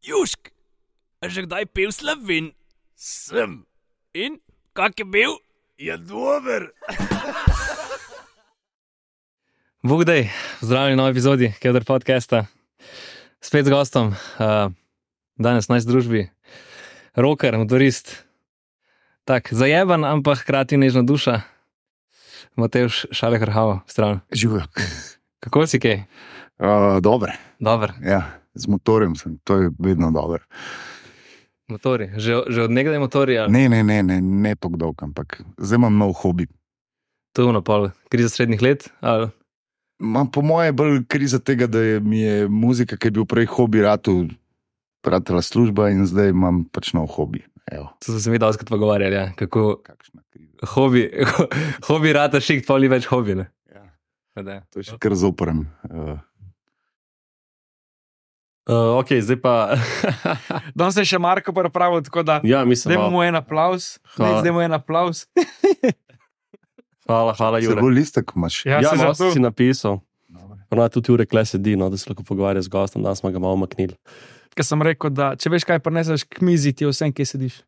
Južk, a že kdaj pil Slovin? Sem. In, kak je bil? Je dober. Bog dej, zdravljeni v novi epizodi Keder podcasta. Spet z gostom, danes v naši družbi, rocker, motorist, tak zajeban, ampak hkrati nežna duša, Matevž Šalehrhavo, stran. Živijo. Kako si kaj? Dobre. Dober. Ja, z motorjem sem, to je vedno dobro. Motori, že od nekdaj motori? Ali? Ne tako dolg, ampak zdaj imam nov hobi. To je napol, kriza srednjih let? Ali? Po moje je bolj kriza tega, da mi je muzika, ki je bil prej hobi, ratala služba in zdaj imam pač nov hobi. Evo. To so se mi doskrat pogovarjali, ja. Kako Kakšna kriza. hobi rata šikt, poli več hobi, ne? Ja. To je še kar zoprem. Ok, zdaj pa. Danes je še Marko pripravil, tako da Ja, mislim, dajmo mu en aplavz. Hvala. Dajmo en aplavz. hvala, Se Jure. bolj listek imaš. Ja, Ja, se malo zato. si napisal. Dobro. Ona tudi Jure kle sedi, no, da se lahko pogovarja z gostom, da smo ga malo maknili. Ker sem rekel, da če veš, kaj prineseš k mizi, ti je vsem, kje sediš.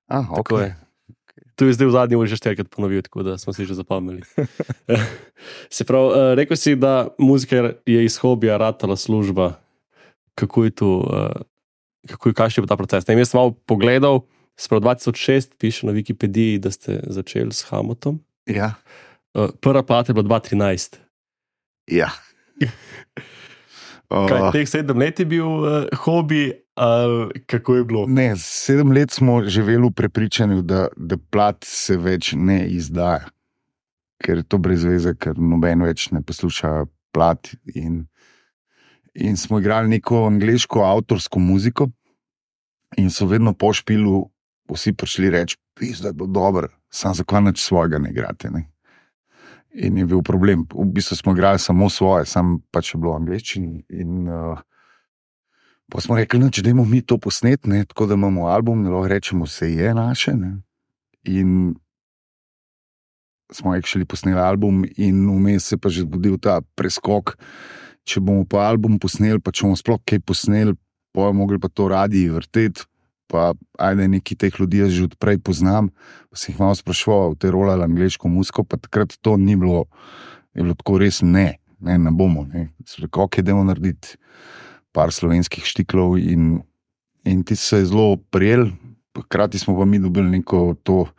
Tako je. Tu je zdaj v zadnji uri že 4-krat ponovil, tako da smo si že zapomnili. Se pravi, rekel si, da muzika je iz hobija ratala služba. Kako je tu, kakšen je bil ta proces? Ne, jaz sem malo pogledal, sprav 2006 piše na Wikipediji, da ste začeli s Hamotom. Ja. Prva plata je bila 2013. Ja. Kaj, teh 7 let je bil hobi, ali kako je bilo? Ne, 7 let smo živeli v prepričanju, da plat se več ne izdaja. Ker je to brez veze, ker noben več ne posluša plat. In smo igrali neko angleško avtorsko muziko in so vedno po špilu vsi prišli reči, da je bilo dobro, sam zakaj nič svojega ne igrate. Ne? In je bil problem. V bistvu smo igrali samo svoje, sam pač je bilo v angleščini. In pa smo rekli, da dajmo mi to posnet, ne? Tako da imamo album, da lahko rečemo, se je naše. Ne? In smo actually posneli album in vmes se pa že zgodil ta preskok. Če bomo pa album posneli, pa če bomo sploh kaj posneli, pa bomo mogli pa to radi vrteti, pa ajde neki teh ljudi jaz že odprej poznam, pa se jih malo sprašoval, te rolali angleško muziko, pa takrat to ni bilo, je bilo tako res ne bomo. Ne. So rekli, ok, dajmo narediti par slovenskih štiklov in ti se je zelo prijel, hkrati smo pa mi dobili neko to.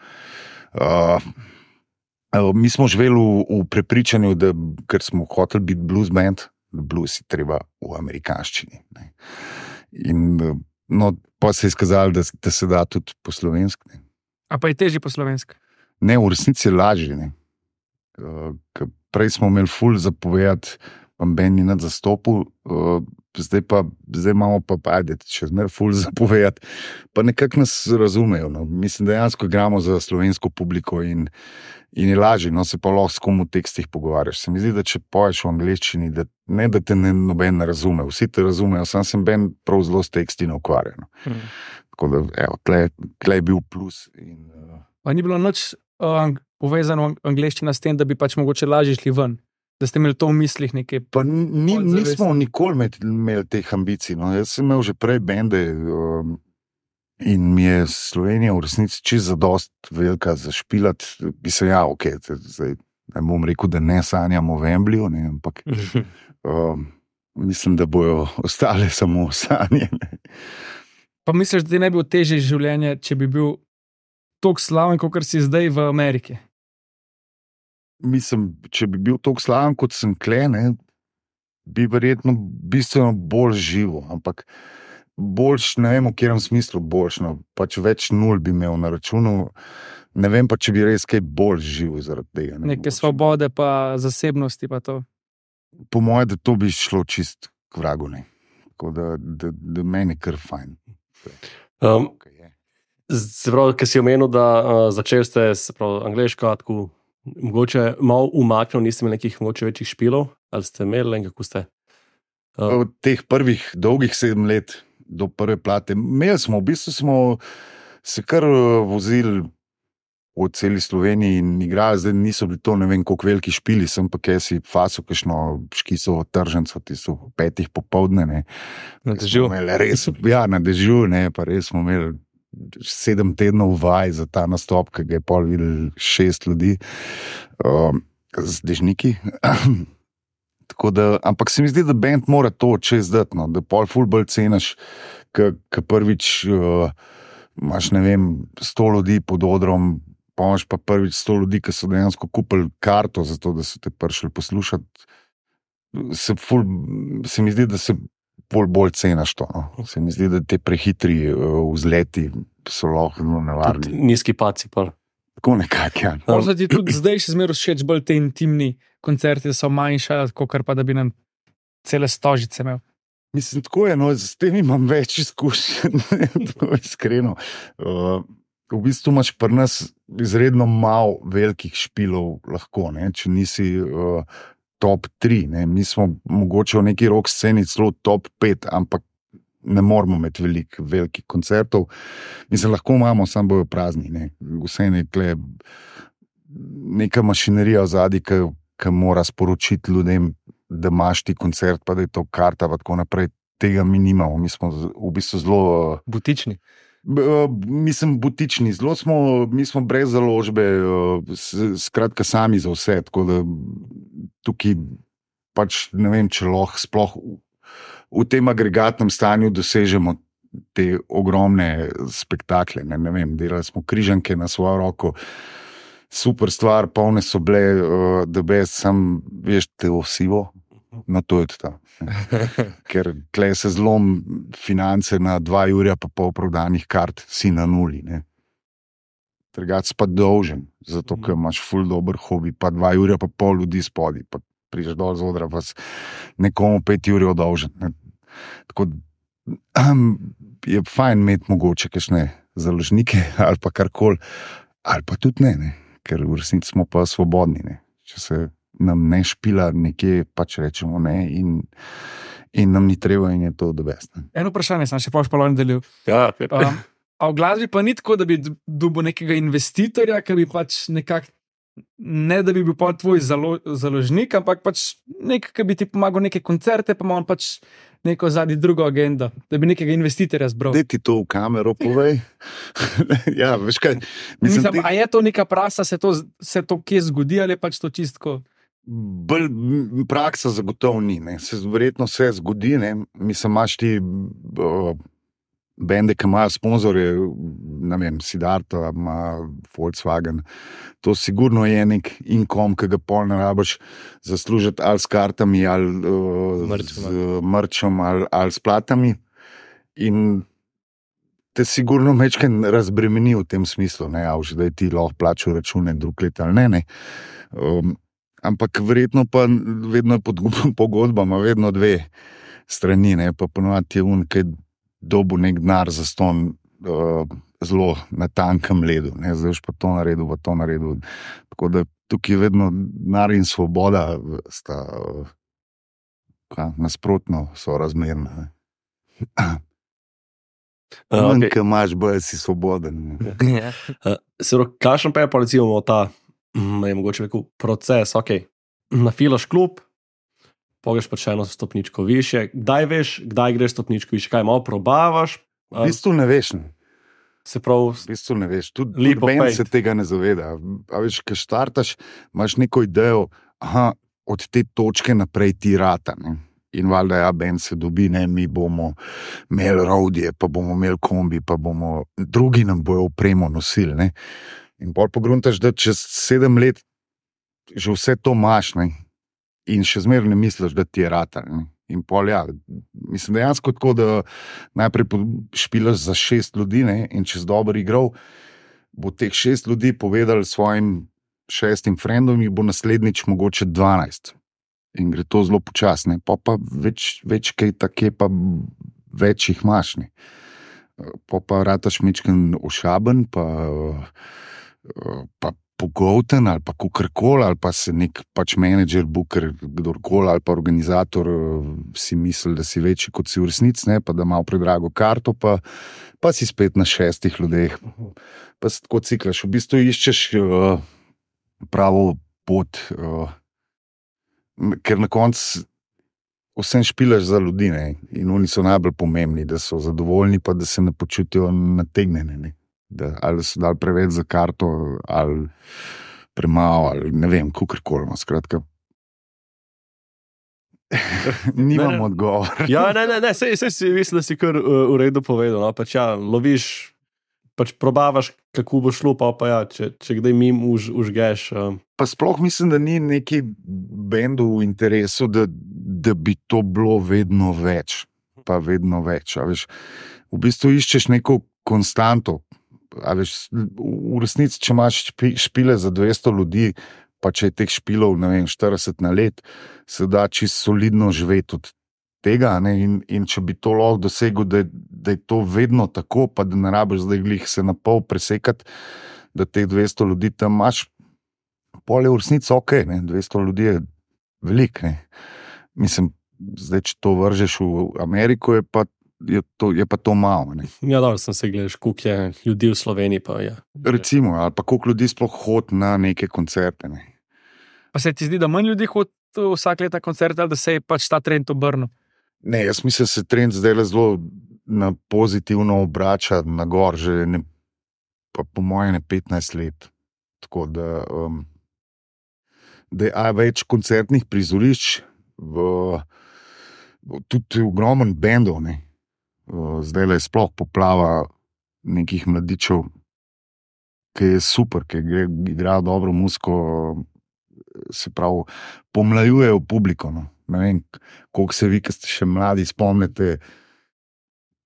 Mi smo živeli v prepričanju, da ker smo hoteli biti blues band, da blues je treba v amerikanščini. Ne. In pa se je izkazalo, da se da tudi po slovenski. A pa je težje po slovenski. Ne, v resnici je lažje. Ker prej smo imeli ful zapovedati, pa Ben ni nad zastopil, zdaj imamo pa ajde, še zmeraj ful zapovedati, pa nekako nas razumejo. No. Mislim, dejansko igramo za slovensko publiko in je lažje, no se pa lahko s kom v tekstih pogovarjaš. Se mi zdi, da če poješ v angleščini, da te noben ne razume, vsi te razumejo, sam sem Ben prav zelo s teksti ne ukvarja. No. Tako da, evo, tle je bil plus. Pa ni bilo nič povezano angleščina s tem, da bi pač mogoče lažje šli ven. Da ste imeli to v mislih nekaj. Pa nismo nikoli imeli teh ambicij. No. Jaz sem imel že prej bende in mi je Slovenija v resnici čisto zadost velika za špilati. Bi se ok, zdaj ne bom rekel, da ne sanjamo v Wembleyju, ampak mislim, da bojo ostale samo sanje. Pa misliš, da ti ne bi bilo težje življenje, če bi bil toliko slaven, kot si zdaj v Ameriki? Mislim, če bi bil toliko slaven, kot sem klene, bi verjetno bistveno bolj živo, ampak boljš, ne vem v katerem smislu boljš, no, pač več nul bi imel na računu, ne vem pa, če bi res kaj bolj živo zaradi tega. Neke svobode pa zasebnosti pa to. Po moje, da to bi šlo čist k vragu, ne. Tako da meni kar fajn. Se pravi, ker si omenil, da začeli ste angleško, tako mogoče malo umaknil, niste imeli nekih mogoče večjih špilov, ali ste imeli in kako ste? Od teh prvih dolgih 7 let do prve plate, imeli smo, v bistvu smo se kar vozili v celi Sloveniji in igrajo, zdaj niso bili to ne vem koliko veliki špili, sem pa kaj si faso kakšno škisovo tržnico, ti so 5 popoldne, ne. Na dežju. Res, ja, na dežju, ne, pa res smo imeli 7 tednov vaj za ta nastop, ki ga je pol videl 6 ljudi z dežniki. Tako da, ampak se mi zdi, da band mora to čez dati, no, da pol ful bolj cenaš, ka prvič imaš, ne vem, 100 ljudi pod odrom, pa imaš pa prvič 100 ljudi, ki so dejansko kupili karto za to, da so te prišli poslušati. Se mi zdi, da se bolj cenaš to. No. Se mi zdi, da te prehitri vzleti so lahko nevarni. Nizki paci pa. Tako nekak, ja. Možda ti tudi zdaj še zmeraj všeč bolj te intimni koncerti, da so manjša, kot pa da bi nam cele stožice imel. Mislim, tako je, no, s tem imam več izkušenj, tako iskreno. V bistvu imaš pri nas izredno malo velikih špilov lahko, ne, če nisi top 3, ne. Mi smo mogoče v neki rock sceni celo top 5, ampak ne moramo imeti velikih koncertov. Mislim, lahko imamo, samo bojo prazni, ne. Vse je nekle neka mašinerija vzadi, ki mora sporočiti ljudem, da imaš ti koncert, pa da je to karta, pa tako naprej. Tega mi nimamo. Mi smo v bistvu zelo Butični. Mislim, butični. Mi smo brez založbe, skratka sami za vse, tako da tukaj pač ne vem, če lahko sploh v tem agregatnem stanju dosežemo te ogromne spektakle. Ne vem, delali smo križanke na svojo roko, super stvar, polne so bile, da best, sam veš, te osivo, no to je to. Ker tle se zlom finance na 2 ure pa pol prodanih kart, si na nuli, ne. Drugače pa dolžen, zato ker imaš ful dober hobi, pa 2 ure pa pol ljudi spodi, pa priđeš dol z odra, pa nekomu 5 ur dolžen. Ne. Tako je fajn imeti mogoče kakšne založnike ali pa karkoli, ali pa tudi ne, ker v resnici smo pa svobodni, ne. Če se nam ne špila nekje, pač rečemo ne in nam ni treba in je to the best. Ne. Eno vprašanje sem še pa nadaljeval. Ja, A v glasbi pa ni tako, da bi dobil nekega investitorja, ki bi pač nekako, ne da bi bil pa tvoj založnik, ampak pač nek, ki bi ti pomagal neke koncerte, pa ima on pač neko zadnji drugo agendo, da bi nekega investitorja zbral. Daj ti to v kamero povej. Ja, veš kaj. Mislim, a je to neka prasa, se to kje zgodi, ali je pač to čistko? Praksa zagotovo ni, ne. Verjetno se zgodi, ne. Mislim, imaš ti bende, ki imajo sponzorje, ne vem, Siddharta, ima Volkswagen, to sigurno je nek inkom, ki ga pol ne rabiš zaslužiti ali s kartami, ali z mrčom, ali s platami. In te sigurno mečken razbremeni v tem smislu, ne, da je ti lahko plačal račune drug let ali ne. Ampak verjetno pa vedno je pod pogodbama, vedno 2 strani, ne, pa ponovadi je kaj dobu nek denar za ston zelo na tankem ledu, ne, zdaj už pa to naredil. Tako da tukaj je vedno denar in svoboda sta nasprotno sorazmerna. Okay. Ko imaš bolj, si svoboden. Kakšen pa je pa recimo ta, mogoče rekel, proces, nafilaš klub, pogeš pa še eno stopničko više, kdaj veš, kdaj greš stopničko više, kaj malo probavaš? V bistvu ne veš. Ne. Se prav, v bistvu ne veš, tudi band se tega ne zaveda. A veš, ko štartaš, imaš neko idejo, od te točke naprej ti rata, ne. In valjda band se dobi, ne, mi bomo imeli rodje, pa bomo imeli kombi, pa bomo drugi nam bojo opremo nosili, ne. In pol pogruntaš, da čez 7 let že vse to imaš, ne. In še zmeraj ne misliš, da ti je rata. Ne? In pol, mislim, dejansko tako, da najprej špilaš za 6 ljudi, ne? In čez dober igral, bo teh 6 ljudi povedal svojim 6 frendom in bo naslednjič mogoče 12. In gre to zelo počasne. Pa več kaj take, pa več jih imaš. Ne? Pa rataš mečken ošaben, pa pogolten ali pa kukorkoli, ali pa se nek pač menedžer, booker, kdorkoli ali pa organizator si misli, da si večji kot si v resnici, ne, pa da malo predrago karto, pa si spet na 6 ljudeh. Pa se tako ciklaš, v bistvu iščeš pravo pot, ker na koncu vsem špilaš za ljudi, ne, in oni so najbolj pomembni, da so zadovoljni, pa da se ne počutijo nategnjeni, ne. Da, ali so dali preveč za karto, ali premalo, ali ne vem, kukorkoli. Skratka, nimam odgovor. Ja, ne, sej si mislim, da si kar v redu povedal. No? Pač ja, loviš, pač probavaš, kako bo šlo, pa ja, če kdaj mim užgeš. Pa sploh mislim, da ni neki bendu v interesu, da bi to bilo vedno več. Pa vedno več. A veš, v bistvu iščeš neko konstanto. A veš, v resnici, če imaš špile za 200 ljudi, pa če je teh špilov, ne vem, 40 na let, se da čisto solidno živeti od tega, ne, in če bi to lahko dosegel, da je to vedno tako, pa da ne rabiš zdaj glih se na pol presekati, da teh 200 ljudi tam imaš, pol je v resnici ok, ne, 200 ljudi je velik, ne. Mislim, zdaj, če to vržeš v Ameriko, je pa to malo. Ne. Ja, dobro, sem se gledal, koliko je ljudi v Sloveniji. Pa, ja. Recimo, ali pa koliko ljudi sploh hodi na neke koncerte. Ne. Pa se ti zdi, da manj ljudi hodi vsak let na koncerte, ali da se je pač ta trend obrnil? Ne, jaz mislim, da se trend zdaj zelo na pozitivno obrača na gor, že pa po mojem 15 let. Tako da je več koncertnih prizorišč, tudi ogromen bendov, ne. Zdaj je sploh poplava nekih mladičev, ki je super, ki igrajo dobro muziko, se pravi, pomlajujejo publiko. No. Ne vem, koliko se vi, ki ste še mladi, spomnite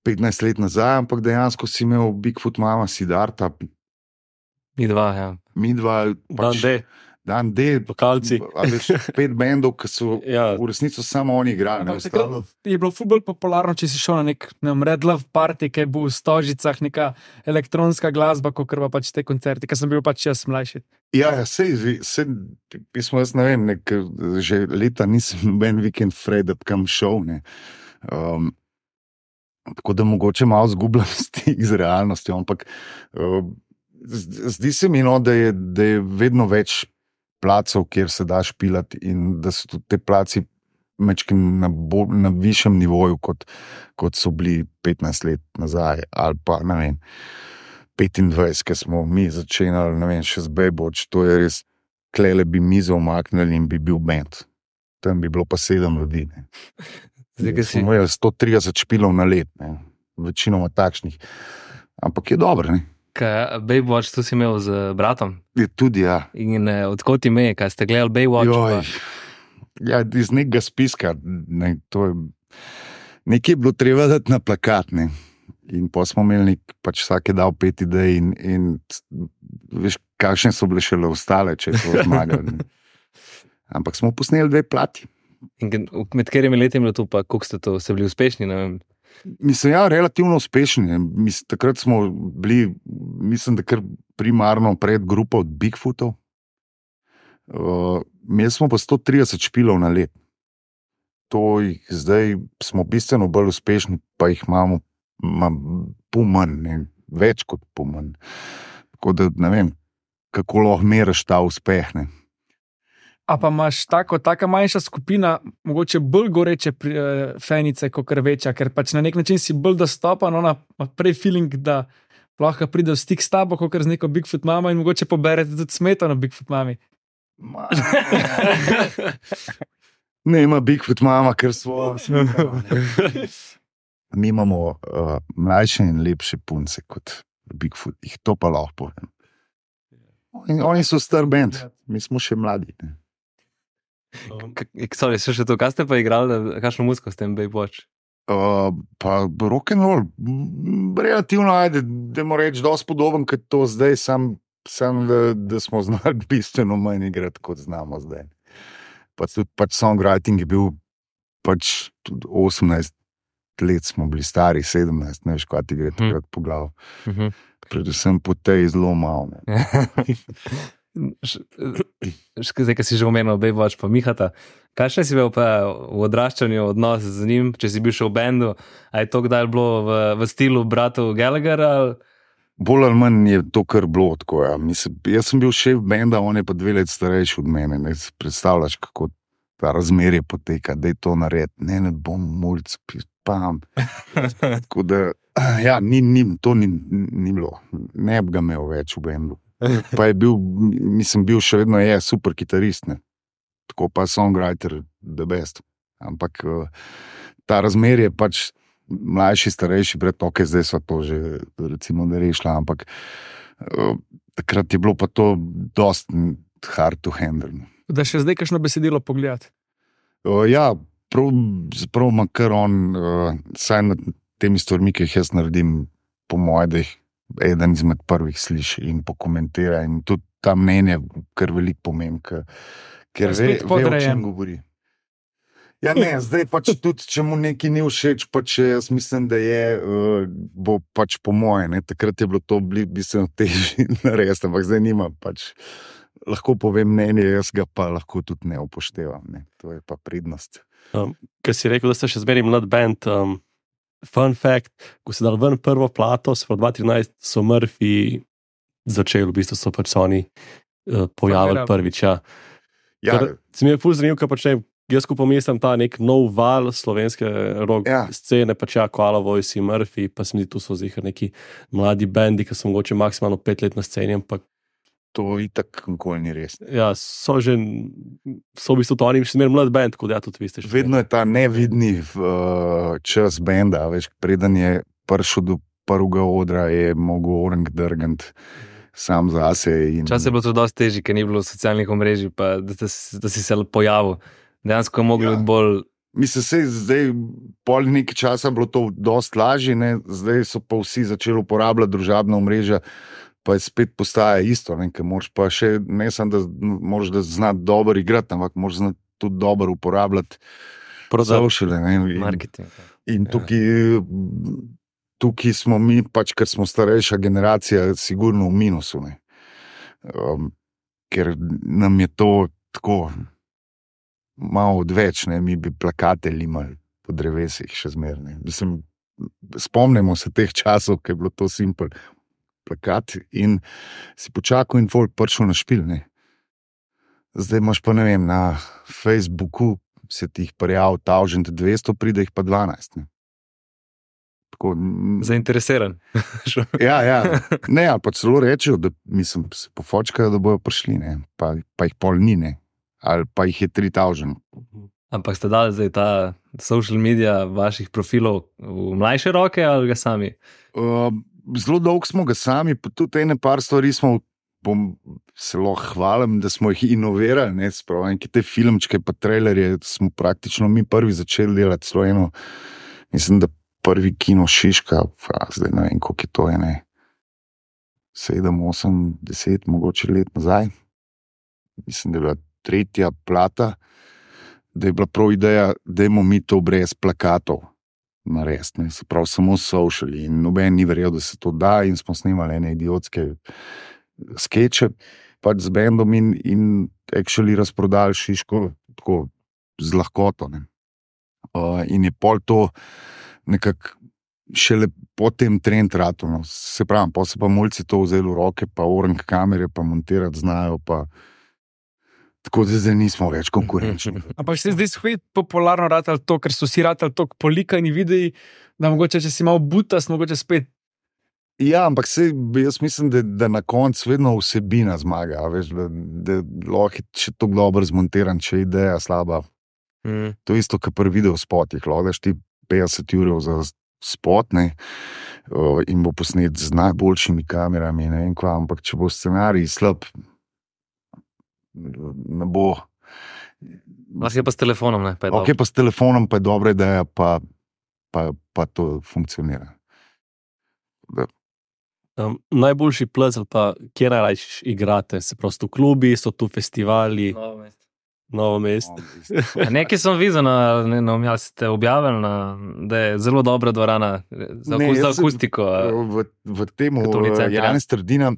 15 let nazaj, ampak dejansko si imel Bigfoot Mama, Siddharta. Mi dva, ja. Pač, Dan D, lokalci. 5 bendov, ki so v resnici samo oni igrali. Je bilo ful bolj popularno, če si šel na nek Red Love Party, ki je bil v Stožicah, neka elektronska glasba, kot pa pač te koncerti, ker sem bil pač jaz mlajši. Ja, jaz ne vem, že leta nisem noben vikend Fred kam šel. Tako da mogoče malo zgubljam stik z realnostjo, ampak zdi se mi, no, da je vedno več placov, kjer se da špilati, in da so tudi te placi na višjem nivoju, kot so bili 15 let nazaj, ali pa ne vem, 25, ki smo mi začenjali, ne vem, še z Baywatch, to je res, klele bi mizo omaknili in bi bil band. Tam bi bilo pa 7 ljudi. Smo imeli 130 špilov na let, ne. Večinoma takšnih. Ampak je dobro, ne. Baywatch, to si imel z bratom? Je tudi, ja. In odkot ime, kaj ste gledali Baywatch? Ja, iz nekega spiska. Ne, nekaj je bilo treba dati na plakat, ne. In pa smo imeli pač vsak je dal 5 idej in veš, kakšne so bile šele ostale, če je to zmagali. Ampak smo posneli 2 plati. In med katerimi leti je bilo to, pa koliko ste bili uspešni, ne vem? Mislim, ja, relativno uspešni. Takrat smo bili, mislim, da kar primarno pred grupo od Bigfootov. Imeli smo pa 130 špilov na let. Zdaj smo bistveno bolj uspešni, pa jih imamo pol manj, ne, več kot pol manj. Tako da ne vem, kako lahko meriš ta uspeh, ne. A pa imaš taka manjša skupina, mogoče bolj goreče fenice, kot večja, ker pač na nek način si bolj dostopan, ona ima prej feeling, da lahko pride v stik s tabo, kot z neko Bigfoot Mama in mogoče poberete tudi smetano Bigfoot Mami. Ne ima Bigfoot Mama, ker svojo smetano. Mi imamo mlajše in lepše punce kot Bigfoot, jih to pa lahko povem. Oni so star band, mi smo še mladi, ne. Sorry, še to, kaj ste pa igrali, kakšno muziko s tem Baywatch? Pa rock'n'roll, relativno, dajmo reči, dosti podoben, kot to zdaj, sam da smo znali bistveno manj igrati, kot znamo zdaj. Pač songwriting je bil pač tudi 18 let smo bili stari, 17, ne veš, kaj ti gre takrat po glavu. Predvsem po tej zelo malo. Zdaj, ki si že omenil, Baywatch pa Mihata. Kaj še si bil pa v odraščanju odnos z njim, če si bil še v bendu? A je to kdaj bilo v stilu bratov Gallagher? Ali? Bolj ali manj je to kar bilo tako. Ja. Mislim, jaz sem bil šef benda, on je pa 2 leti starejši od mene. Ne si predstavljaš, kako ta razmerje poteka, da je to narediti. Ne bom mulc, pam. Tako da, ja, to ni bilo. Ne bi ga imel več v bendu. Pa je bil, mislim, bil še vedno je super kitarist, ne. Tako pa songwriter, the best. Ampak ta razmerje pač mlajši, starejši, ok, zdaj so to že recimo ne rešila, ampak takrat je bilo pa to dost hard to handle. Da še zdaj kakšno besedilo pogledati? Ja, prav makar on, saj nad temi stvarmi, ki jih jaz naredim, po moje, da jih eden izmed prvih sliši in pokomentira in tudi ta mnenje kar veliko pomeni, ker ve, o čem govori. Ja, ne, zdaj pač tudi, če mu nekaj ni všeč, pač jaz mislim, da bo pač po moje, ne, takrat je bilo to bistveno težje narediti, ampak zdaj nima pač, lahko povem mnenje, jaz ga pa lahko tudi ne upoštevam, ne, to je pa prednost. Ker si rekel, da ste še zmeraj mlad band, fun fact, ko si dal ven prvo plato, se v 2013 so Murphy začeli, v bistvu so pač oni pojavili prvič, ja. Ja. Se mi je ful zanimivo, kaj počne. Jaz ko pomislim ta nek nov val slovenske rock scene, pač ja, Koala Voice in Murphy, pa se mi tu so zihar neki mladi bendi, ki so mogoče maksimalno 5 let na sceni, ampak to itak nikoli ni res. Ja, so v bistvu to oni še zmeraj mlad band, kot ja, tudi vi ste še. Vedno je ta nevidni čas benda, veš, preden je prišel do prvega odra, je mogel orang drgant sam zase. Čas je bilo to dosti težje, ker ni bilo socialnih omrežij, pa da si se pojavil. Dejansko je moglo biti bolj... Mislim, se zdaj pol nekaj časa bilo to dosti lažje, ne? Zdaj so pa vsi začeli uporabljati družabna omrežja, pa je spet postaja isto, ne? Ker moraš pa še, ne samo da moraš da znati dobro igrati, ampak moraš znati tudi dobro uporabljati sociale. Marketing. In tukaj smo mi, pač ker smo starejša generacija, sigurno v minusu, ne? Ker nam je to tako... malo odveč, ne, mi bi plakate limali po drevesih še zmeraj. Mislim, spomnimo se teh časov, ko je bilo to simpel plakat in si počakal in folk prišel na špil, ne. Zdaj imaš pa, ne vem, na Facebooku se ti jih prijav 1200, pride jih pa 12, ne. Tako, zainteresiran. Ja. Ne, ali pa celo rečejo, da mislim, se pofočkajo, da bojo prišli, ne, pa jih pol ni, ne. Ali pa jih je 3000. Ampak ste dali zdaj ta social media vaših profilov v mlajše roke ali ga sami? Zelo dolgo smo ga sami, pa tudi ene par stvari smo, se lahko hvalim, da smo jih inovirali, ne, sprav, enke te filmčke pa trailerje smo praktično mi prvi začeli delati, celo eno, mislim, da prvi kino Šiška, zdaj ne vem, koliko je to, ne, 7, 8, 10, mogoče let nazaj. Mislim, da je bila 3. plata, da je bila prav ideja, da imamo mi to brez plakatov narediti, se pravi samo social in noben ni verjel, da se to da in smo snimali ene idiotske skeče pač z bendom in actually razprodali Šiško tako z lahkoto, ne. In je pol to nekako šele potem trend rato, no. Se pravi, pa se pa mulci to vzeli v roke, pa orang kamere, pa montirati znajo, pa tako da zdaj nismo več konkurenčni. Ampak se zdaj spet popularno ratali to, ker so si ratali toliko polikani videi, da mogoče, če si malo butas, mogoče spet. Ja, ampak jaz mislim, da na koncu vedno vsebina zmaga, veš, da lahko je še tako dobro zmontiran, če je ideja slaba. To je isto, kot pri video spotih, lahko daš ti 50 € za spot, ne, in bo posnet z najboljšimi kamerami, ne vem kva, ampak če bo scenarij slab, ne bo. Lahko je pa s telefonom, ne? Ok, pa s telefonom pa je dobra ideja, pa to funkcionira. Najboljši plez ali pa kje najrajši igrate? Se prosto v klubi, so tu festivali? Novo mesto. Nekaj sem videl, ali ste objavili, da je zelo dobra dvorana za akustiko. V temu Janez Trdina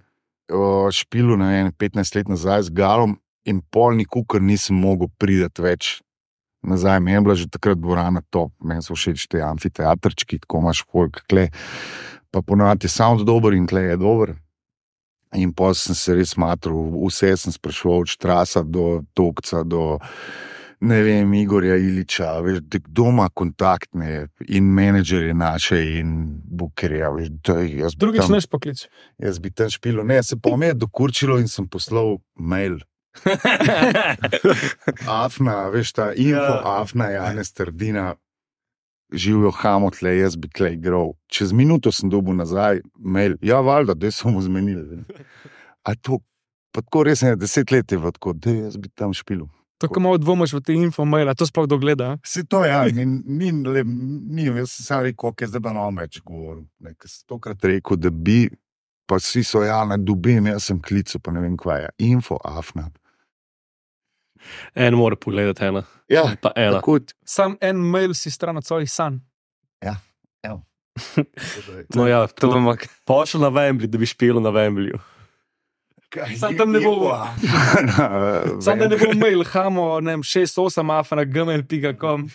špilu, ne vem, 15 let nazaj z Galom in pol nikukar nisem mogel priti več nazaj. Meni je bila že takrat dvorana top, meni so všeč te amfiteatrčki, tako imaš folk, kle, pa ponavadi je sound dober in kle je dober. In potem sem se res matral, vse sem spraševal, od Štrasa do Tokca, do ne vem, Igorja Iliča, veš, kdo ima kontaktne in menedžerje naše in bukerja, veš, Drugič neš poklic. Jaz bi tam špilo, ne, se pa me je dokurčilo in sem poslal mail. Afna, veš, ta info, Afna, Janez Trdina, živijo hamotle, jaz bi klej igral. Čez minuto sem dobil nazaj mail, ja, valjda, da so mu zmenili. A to, pa tako res ne, 10 let je tako, da jaz bi tam špilo. Tako malo dvomaš v te info-maila, to sploh dogleda. Se to ja, ni, jaz sem sam rekel, ok, zdaj pa nam več govoril. Nekaj sem tokrat rekel, da bi, pa vsi so ja, ne dobim, jaz sem klical, pa ne vem kva je, info, Afna. En mora pogledati ena. Ja, Pa ena. tako, Sam en mail si stran od svojih sanj. ja, evo. No ja, To bomo pošel na Wembley, da bi špil na Wembleyju. Sam tam ne bo. Sam da ne bo mail, hamo, ne vem, 6-8 afna@gmail.com.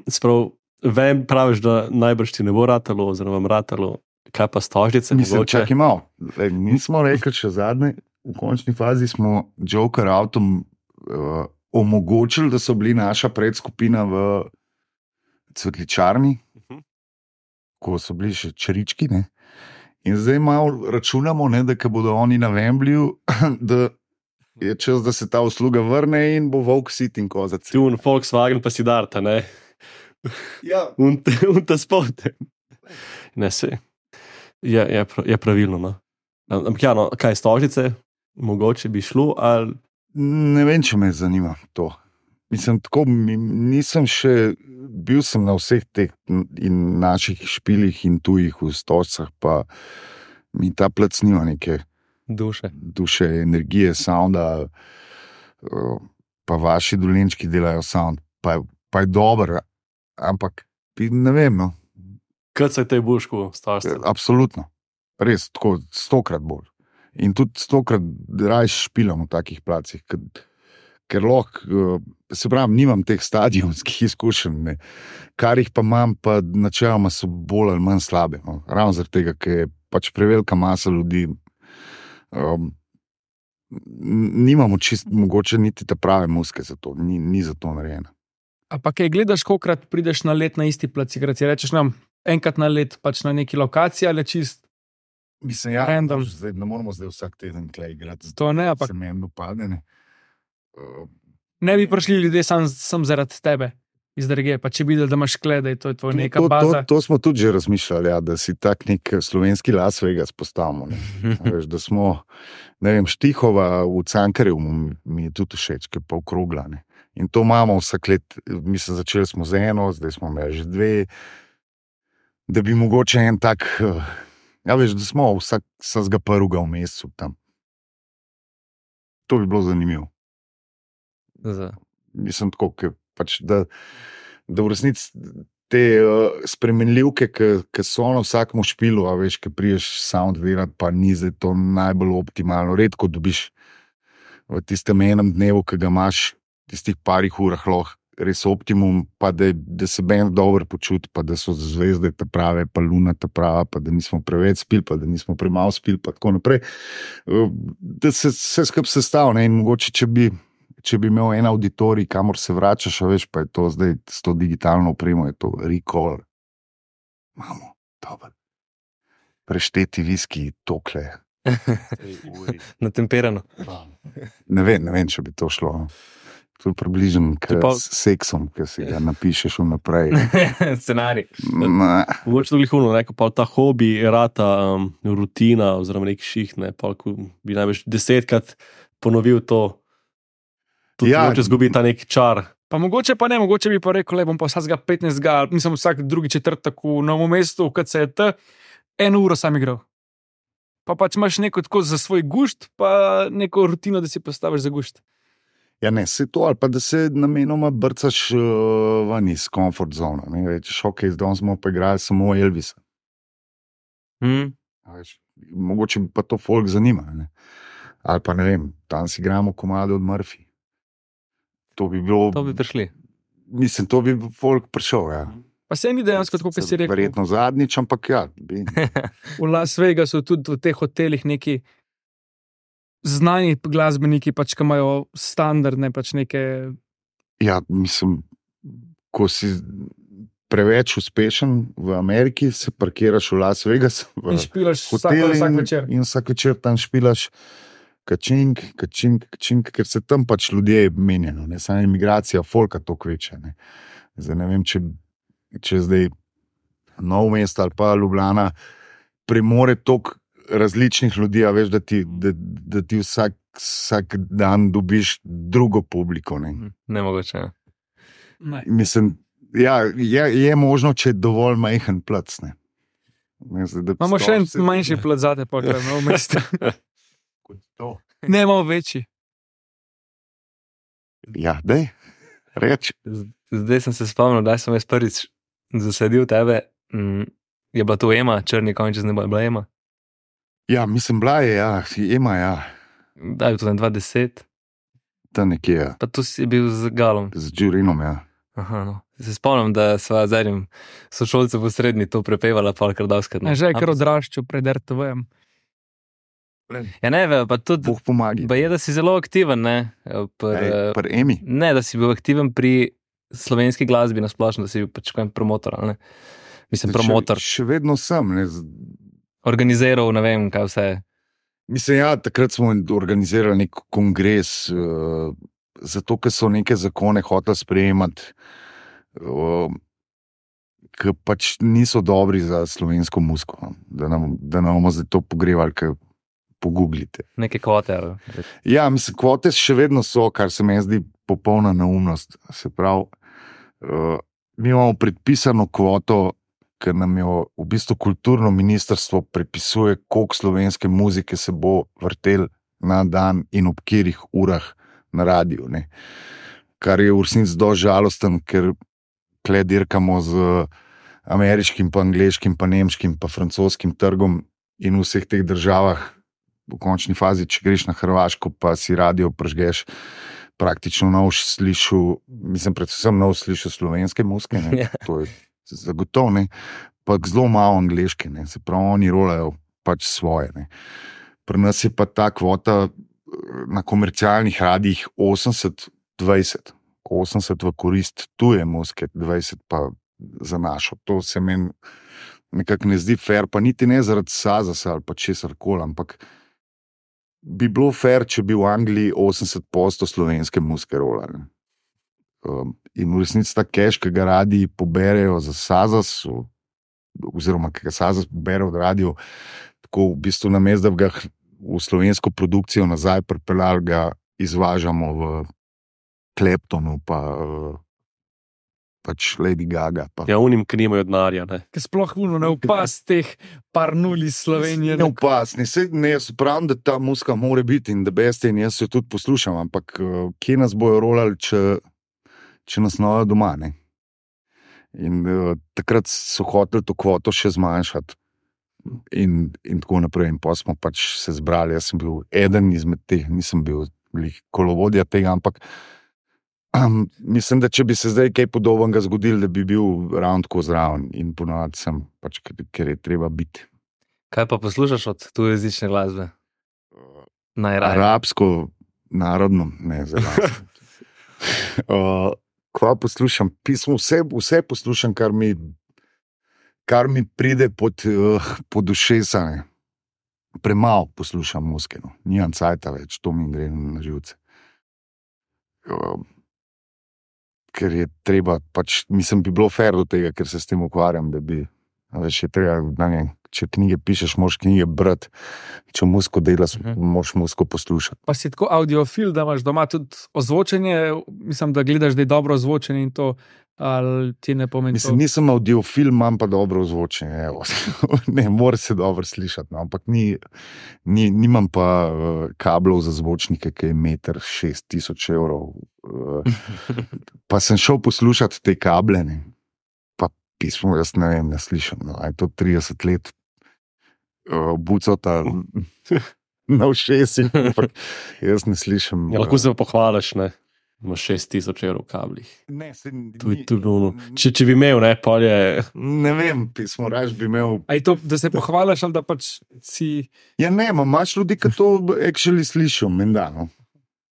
Sprav, vem, praviš, da najbrž ti ne bo ratalo, oziroma vam ratalo, kaj pa stožnice? Mislim, mogoče? čakaj malo. Nismo rekli še zadnje, v končni fazi smo Joker avtom omogočili, da so bili naša predskupina v Cvetličarni, ko so bili še črički, ne? In zdaj malo računamo, ne, da ko bodo oni na Wembleyju, da je čas, da se ta usluga vrne in bo volk sit in kozac. Ti un Volkswagen pa si darta, ne? Ja, Un ta spote. Ne, se. Je pravilno, no. Ampak ja, no, kaj stožnice? Mogoče bi šlo, ali... ne vem, če me zanima to. Mislim, tako, nisem še, bil sem na vseh teh in naših špilih in tujih v stožcah, pa mi ta plac nima neke duše, energije, sounda, pa vaši dolenčki delajo sound, pa je dober, ampak ne vem, no. Kaj se te bušku stožce? Absolutno, res, tako 100-krat bolj. In tudi 100-krat rajš špilam v takih placih, ker lahko, se pravim, nimam teh stadionskih izkušenj, ne. Kar jih pa imam, pa načeloma so bolj ali manj slabe. No. Ravno zaradi tega, ker je pač prevelika masa ljudi, nimamo mogoče niti te prave muske za to, ni za to narejena. A pa kaj gledaš, kolikrat prideš na let na isti plac igrati? Rečeš nam, enkrat na let pač na neki lokaciji ali čist? Mislim, ja, Random. zdaj, ne moramo zdaj vsak teden klej igrati. To ne, ampak Se meni upade, ne. ne bi prišli ljudje sam zaradi tebe iz regije, pa če bi videli, da imaš klede, to je tvoja neka baza. To smo tudi že razmišljali, ja, da si tak nek slovenski Las Vegas postavimo. Veš, da smo, ne vem, Štihova v Cankarjevu mi je tudi všeč, ki pa okrogla. Ne. In to imamo vsak let, mislim, začeli smo z eno, zdaj smo imeli že 2, da bi mogoče en tak, ja veš, da smo vsakega prvega v mesecu tam. To bi bilo zanimivo. Mislim tako, pač, da v resnici te spremenljivke, ki so na vsakem špilu, a veš, ki priješ sound delati, pa ni zdaj to najbolj optimalno. Redko dobiš v tistem enem dnevu, ki ga imaš, tistih parih urah lahko res optimum, pa da se bend dobro počuti, pa da so zvezde ta prave, pa luna ta prava, pa da nismo preveč spili, pa da nismo premalo spili, pa tako naprej. Da se vse skupaj sestavlja in mogoče, če bi imel en auditorij, kamor se vračaš, a veš, pa je to zdaj s to digitalno opremo, je to recall. Imamo, dobro. Prešteti viski, tokle. Natemperano. Ne vem, če bi to šlo. No. To je približno s seksom, ki si ga napišeš vnaprej. Scenarij. Mogoče tudi huno, neko pa ta hobi, rata, rutina, oziroma nek ših, ne, pa ko bi največ 10-krat ponovil to, tudi Ja. mogoče zgubi ta nek čar. Pa mogoče pa ne, mogoče bi pa rekel, le bom pa vsakega 15, mislim vsak drugi četrtek v Novem mestu, v KCT, 1 uro sam igral. Pa pač imaš neko tako za svoj gušt, pa neko rutino, da si postaviš za gušt. Ja, ne, se to, ali pa da se namenoma brcaš ven iz comfort zone. Ne, rečeš, ok, zdaj smo pa igrali samo Elvisa. A veš, mogoče bi pa to folk zanima. Ne? Ali pa ne vem, tam si igramo komade od Murphy. To bi bilo. To bi prišli. Mislim, to bi folk prišel. Ja. Pa se ni dejansko tako, kot si rekel. Verjetno zadnjič, ampak ja. V Las Vegasu tudi v teh hotelih neki znani glasbeniki, pač, ki imajo standardne pač neke. Ja, mislim, ko si preveč uspešen v Ameriki, se parkiraš v Las Vegas In špilaš hotel vsak večer. in vsak večer tam špilaš kačink, ker se tam pač ljudje menjajo, ne samo imigracija, folka to kveče. Ne. Zdaj ne vem, če zdaj Novo mesto ali pa Ljubljana premore toliko različnih ljudi, a veš, da ti vsak dan dobiš drugo publiko. Ne. Nemogoče. Ja. Ne. Mislim, ja, je možno, če je dovolj majhen plac. Ne. Imamo še en manjši plac zate, pa kaj Novo mesto. Ne, imamo večji. Ja, dej, reč. Zdaj sem se spomnil, da sem jaz prvič zasedil tebe. Je bila to Ema, črni konj, če ne bo bila Ema? Ja, mislim, bila je, ja, Ema, ja. Da, je to 2010. Ta nekje, ja. Pa tu si bil z Galom. Z Džurinom, ja. Aha, no. Se spomnim, da sva z enim sošolcem v srednji to prepevala, pa kar davskrat. Že je kar odraščal pred RTV-jem. Ja, ne, pa tudi. Bog pomagi. Pa je, da si zelo aktiven, ne? Pri Emi. Ne, da si bil aktiven pri slovenski glasbi na splošno, da si bil pač kaj promotor, ali ne? Mislim, promotor. Še vedno sem, ne. Organiziral, ne vem, kaj vse. Mislim, ja, takrat smo organizirali nek kongres, zato, ker so neke zakone hoteli sprejemati, ki pač niso dobri za slovensko muziko. Da nam bomo zdaj to pogrevali, ker pogooglite. Neke kvote. Ali? Ja, mislim, kvote še vedno so, kar se meni zdi popolna neumnost. Se pravi, mi imamo predpisano kvoto, ker nam jo v bistvu kulturno ministrstvo predpisuje, koliko slovenske muzike se bo vrtel na dan in ob katerih urah na radiju. Ne. Kar je v resnici dosti žalosten, ker tle dirkamo z ameriškim, pa angleškim, pa nemškim, pa francoskim trgom in v vseh teh državah v končni fazi, če greš na Hrvaško, pa si radio prežgeš, praktično nov slišal, mislim, predvsem nov slišal slovenske muzike, ne. To je zagotovo, ne, pa zelo malo angleške, ne, se pravi, oni rolajo pač svoje, ne. Pri nas je pa ta kvota na komercialnih radijih 80-20, 80 v korist tuje muzike, 20 pa za našo. To se meni nekako ne zdi fair, pa niti ne zaradi Sazasa ali pa česar koli, ampak bi bilo fair, če bi v Angliji 80% slovenske muzike rolali. In v resnici ta cash, ki ga radiji poberejo za Sazas, oziroma ki ga Sazas pobere od radiju, tako v bistvu namesto, da bi ga v slovensko produkcijo nazaj pripeljali, ga izvažamo v Claptonu, pa pač Lady Gaga. Pa. Ja, unim, ki nimajo denarja. Ker sploh ne upas teh par nul iz Slovenije. Ne upas, ne, jaz pravim, da ta muzika mora biti in da beste in jaz jo tudi poslušam, ampak kje nas bojo rolali, če nas nojo doma, ne? In takrat so hoteli to kvoto še zmanjšati in tako naprej. In pa smo pač se zbrali, jaz sem bil eden izmed teh, nisem bil kolovodja tega, ampak mislim, da če bi se zdaj kaj podobnega zgodilo, da bi bil ravno tako zraven in ponovadi sem, pač, ker je treba biti. Kaj pa poslušaš od tujejezične glasbe? Najraje. Arabsko, narodno, ne zelo. Kva poslušam? Pismo, vse poslušam, kar mi pride pod ušesa. Ne. Premalo poslušam muzike, no. Nimam cajta več, to mi gre na živce. Ker je treba, pač, mislim, bi bilo fair do tega, ker se s tem ukvarjam, da bi, veš, je treba, ne, če knjige pišeš, moraš knjige brati, če muziko delaš, moraš muziko poslušati. Pa si tako audiofil, da imaš doma tudi ozvočenje, mislim, da gledaš, da je dobro ozvočenje in to, ali ti ne pomeni mislim, to? Nisem audiofil, imam pa dobro ozvočenje, evo. Ne, mora se dobro slišati, no, ampak nimam pa kablov za zvočnike, ki je 1,6 evrov. Pa sem šel poslušati te kable, ne. Pa pismo, jaz ne vem, ne slišam, no, je to 30 let. bucota na ušesih, ampak jaz ne slišim. Ja, lahko se pa pohvališ, ne? Imaš 6,000 evrov v kablih. Ne, Če bi imel, ne, pa je. Ne vem, pismo raž bi imel. A je to, da se pohvališ, ali da pač si. Ja, ne, imaš ljudi, ki to actually slišijo, menda. No.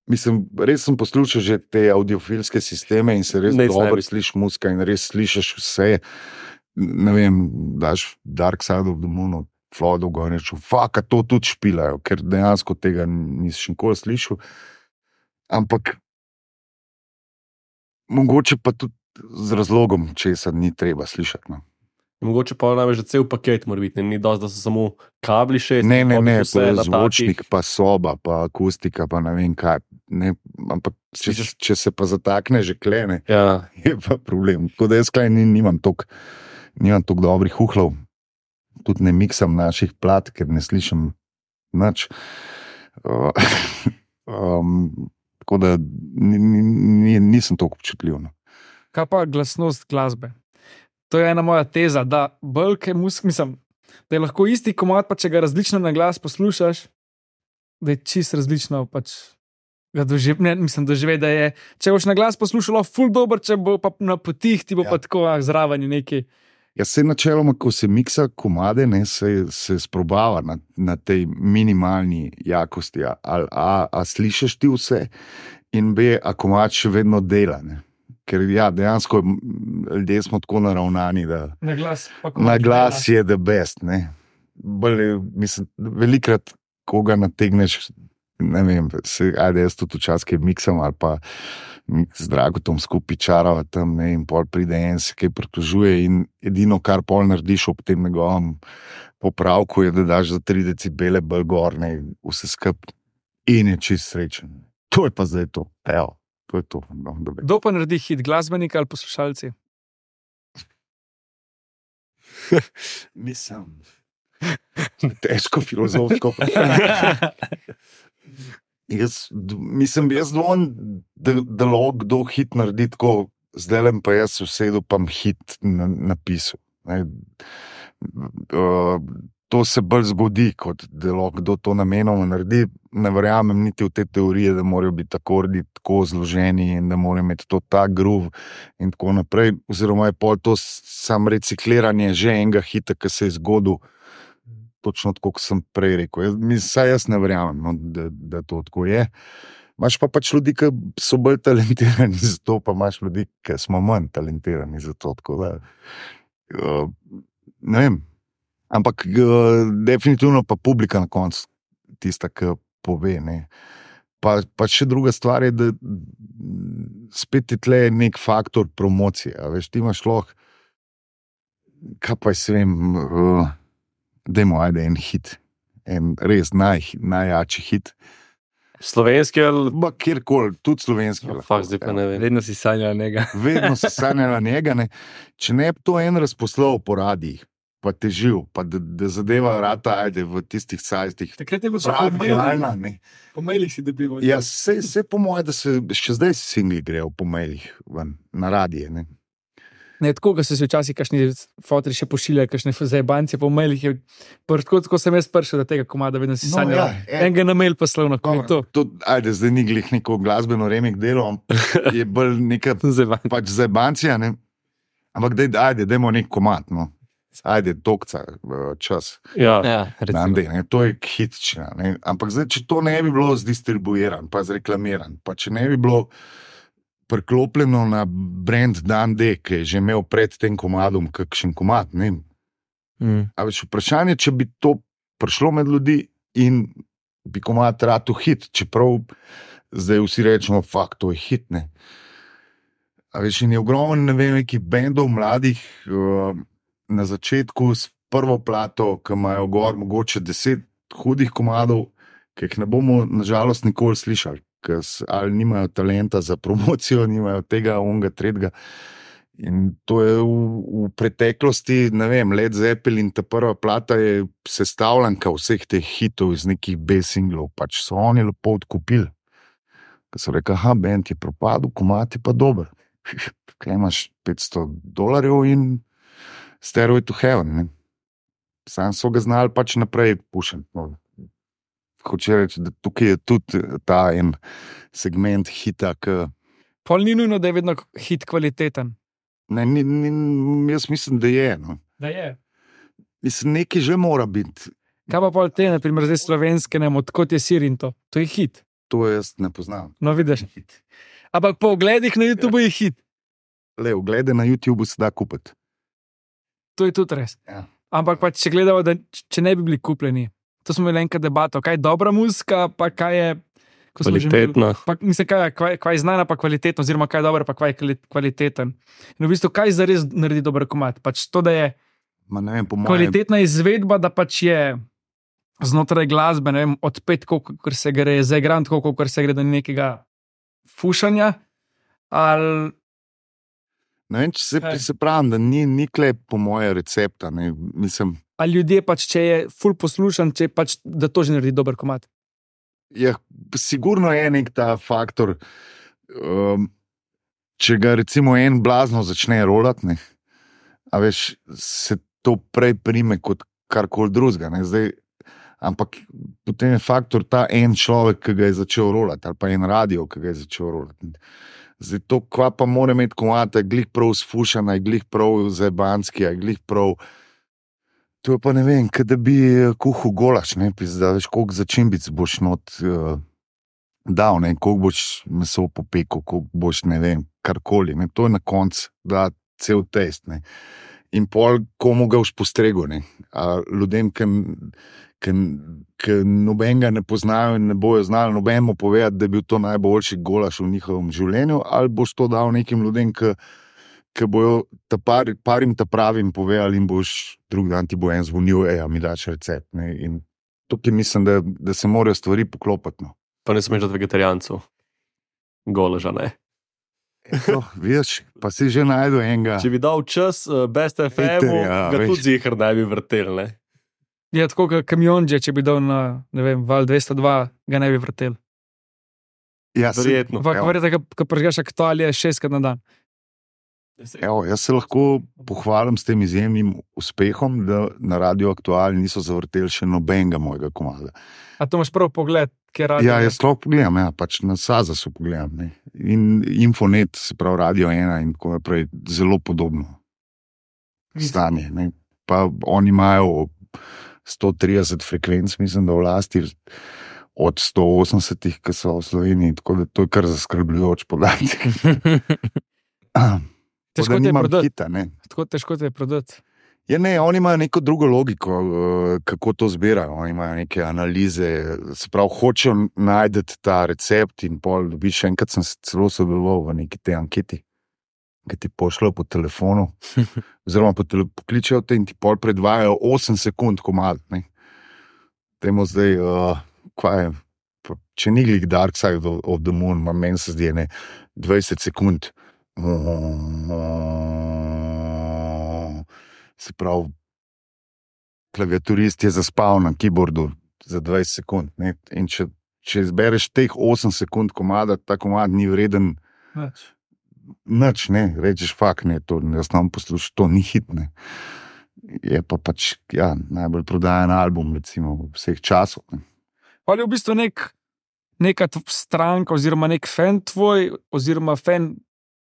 Mislim, res sem poslušal že te audiofilske sisteme in se res dobro slišiš muzika in res slišiš vse. Ne vem, daš Dark Side of the Moon, Flodo, gor reču, faka, to tudi špilajo, ker dejansko tega nisem nikoli slišal. Ampak mogoče pa tudi z razlogom, česa ni treba slišati. No. Mogoče pa največ, da cel paket mora biti, ni dosti, da so samo kabli 6. Ne, to je zvočnik, pa soba, pa akustika, pa ne vem kaj. Ne, ampak če se pa zatakne že klene, ja. Je pa problem. Tako da jaz klej nimam toliko dobrih uhlov. Tudi ne miksam naših plat, ker ne slišim nič. Tako da nisem toliko občutljiv. No. Kaj pa glasnost glasbe? To je ena moja teza, da bolj mislim, da je lahko isti komad, pa če ga različno na glas poslušaš, da je čist različno pač ga doživi, da je, če boš na glas poslušalo ful dober, če bo pa na potih, ti bo pa tako zraven neki. Ja, se načeloma, ko se miksa komade, ne, se sprobava na tej minimalni jakosti. A slišiš ti vse in B, a komad še vedno dela, ne. Ker ja, dejansko ljudje smo tako naravnani, da na glas je the best. Ne. Mislim, velikrat, ko ga nategneš, ne vem, ajde jaz tudi včasih miksam ali pa z Dragotom skupaj čarava tam, ne, in pol pride en se kaj pritožuje in edino, kar pol narediš ob tem njegovem popravku, je, da daš za 3 decibele bolj gor, ne, vse skup in je čist srečen. To je pa zdaj to. Evo. To je to. No, kdo pa naredi hit, glasbenik ali poslušalci? Mislim, težko filozofsko. Jaz dvomim, da lahko kdo hit naredi tako, zdaj pa jaz vsedu pa hit napisal. To se bolj zgodi, kot da lahko kdo to namenoma naredi. Ne verjamem niti v te teorije, da morajo biti akordi tako zloženi in da morajo imeti to ta groove in tako naprej. Oziroma je pol to sam recikliranje že enega hita, ki se je zgodil, točno tako, kot sem prej rekel. Jaz ne verjamem, no, da to tako je. Imaš pa pač ljudi, ki so bolj talentirani za to, pa imaš ljudi, ki smo manj talentirani za to. Tako da, ne vem. Ampak definitivno pa publika na koncu tista, ki pove. Ne. Pa še druga stvar je, da spet je tle nek faktor promocije. A veš, ti imaš lahko, kaj pa se vem, dajmo ajde en hit, en res najjači hit. Slovenski ali? Kjerkoli, tudi slovenski. Fakt, zdaj pa ne vem. Vedno si sanjala njega. Vedno si sanjala njega. Ne. Če ne bi to en razposlal po radijih, pa težil, pa da zadeva rata, ajde, v tistih sajstih. Takrat je bilo realna, ne. Po mailih si dobival. Ja, se po moje, da se še zdaj singli grejo po mailih ven, na radije, ne. Ne, tako, ko se včasih kakšni fotri še pošiljajo, kakšne zajebance po mailih, tako sem jaz prišel do tega komada, vedno si sanjala. Enega na mail poslal na to. Ajde, zdaj ni glih neko glasbeno remik delo, je bolj neka pač zajbancija, ne. Ampak dajmo nek komad, no. Ajde, dokca, čas. Ja, recimo. To je hitčina. Ne? Ampak zdaj, če to ne bi bilo zdistribuiran, pa zreklamiran, pa če ne bi bilo priklopljeno na brand Dan D, ki je že imel pred tem komadom kakšen komad, ne? A več vprašanje, če bi to prišlo med ljudi in bi komad ratu hit, čeprav zdaj vsi rečemo, fakt, to je hit, ne? A več in je ogromen, ne vem, nekih bendov mladih, na začetku s prvo plato, ki imajo gor mogoče 10 hudih komadov, ki jih ne bomo nažalost nikoli slišali, ker ali nimajo talenta za promocijo, nimajo tega, onega, tretjega. In to je v preteklosti, ne vem, Led Zeppelin, ta prva plata je sestavljanka vseh teh hitov iz nekih B-singlov, pač so oni lepo odkupili. Ker so rekli, band je propadel, komad je pa dober. Kaj imaš $500 in Stairway to Heaven, ne? Sam so ga znali pač naprej pušiti. No. Hoče reči, da tukaj je tudi ta en segment hita, ki... Pol ni nujno, da je vedno hit kvaliteten. Ne, jaz mislim, da je. No. Da je. Mislim, nekaj že mora biti. Kaj pa pol te, naprimer, zdaj slovenske, ne, odkot je sir in to? To je hit. To jaz ne poznam. No, vidiš. Ampak po ogledih na YouTube je hit. Le, oglede na YouTube se da kupiti. To je tudi res. Ja. Ampak pa, če gledamo, da če ne bi bili kupljeni, to smo imeli enkrat debato, kaj je dobra muzika, pa kaj je Kvalitetna. Pa, mislim, kaj je znana, pa kvalitetna, oziroma kaj je dobra, pa kaj je kvaliteten. In v bistvu, kaj zares naredi dober komad? Pač to, da je Ma ne vem, po mojem... kvalitetna izvedba, da pač je znotraj glasbe, ne vem, odpet, koliko se gre, zaigran, koliko se gre do nekega fušanja, ali... Ne vem, če se pravim, da ni klep po moje recepta. Ne, mislim... Ali ljudje pač, če je ful poslušan, če pač, da to že naredi dober komad? Ja, sigurno je nek ta faktor, če ga recimo en blazno začne rolati, ne, a veš, se to prej prime kot karkoli drugega. Ampak potem je faktor ta en človek, ki ga je začel rolati, ali pa en radio, ki ga je začel rolati. Zdaj to, kva pa mora imeti komad, je glih prav sfušana, je glih prav zebanski, je glih prav... To je pa ne vem, da bi kuhal golaš, ne, da veš, koliko začimbic boš not dal, ne, koliko boš meso popekel, koliko boš, ne vem, karkoli, ne, to je na koncu, da cel test, ne. In pol komu ga boš postregel, ne. A ljudem, ki nobenega ne poznajo in ne bojo znali nobenemu povedati, da je bil to najboljši golaš v njihovem življenju, ali boš to dal nekim ljudem, ki bojo parim ta pravim povedali in boš drug dan ti bo en zvonil, a mi daš recept. Ne? In tukaj mislim, da se morajo stvari poklopiti. No. Pa ne smeš dati vegetarijancu. Goleža, ne? Vidiš, pa si že najdel enega. Če bi dal čas Best FM-u, ga tudi zihar ne bi vrtel, ne? Je tako, kot kamionđe, če bi dal na, ne vem, val 202, ga ne bi vrtel. Ja, verjetno. Verjetno, ko pržgaš aktualije 6 na dan. Evo, jaz se lahko pohvalim s tem izjemnim uspehom, da na Radio Aktuali niso zavrteli še nobenega mojega komada. A to imaš prav pogled, kje radio? Ja, jaz lahko pogledam, ja, pač na Sazasu pogledam. Ne. In Infonet, se pravi Radio 1 in tako naprej, zelo podobno stanje. Ne. Pa oni imajo 130 frekvenc, mislim, da v lasti od 180, ki so v Sloveniji, tako da to je kar zaskrbljujoč podatek. Težko te je prodati. Hita, tako težko te je prodati. Ja, ne, oni imajo neko drugo logiko, kako to zbirajo. Oni imajo neke analize, se pravi, hočejo najti ta recept in pol dobiš. Enkrat sem se celo sodeloval v neki te anketi, ki ti pošljajo po telefonu, oziroma pokličejo te in ti pol predvajajo 8 sekund komad. Temo zdaj, kva je, če ni glih Dark Side of the Moon, meni se zdi, 20 sekund. Se pravi, klaviaturist je zaspal na keyboardu za 20 sekund. Ne? In če izbereš teh 8 sekund komada, ta komad ni vreden nič, ne, rečeš fakt, ne, to jaz nam poslušam, to ni hit, ne. Je pa pač, ja, najbolj prodajan album, recimo, vseh časov. Ne. Ali je v bistvu neka stranka oziroma nek fan tvoj, oziroma fan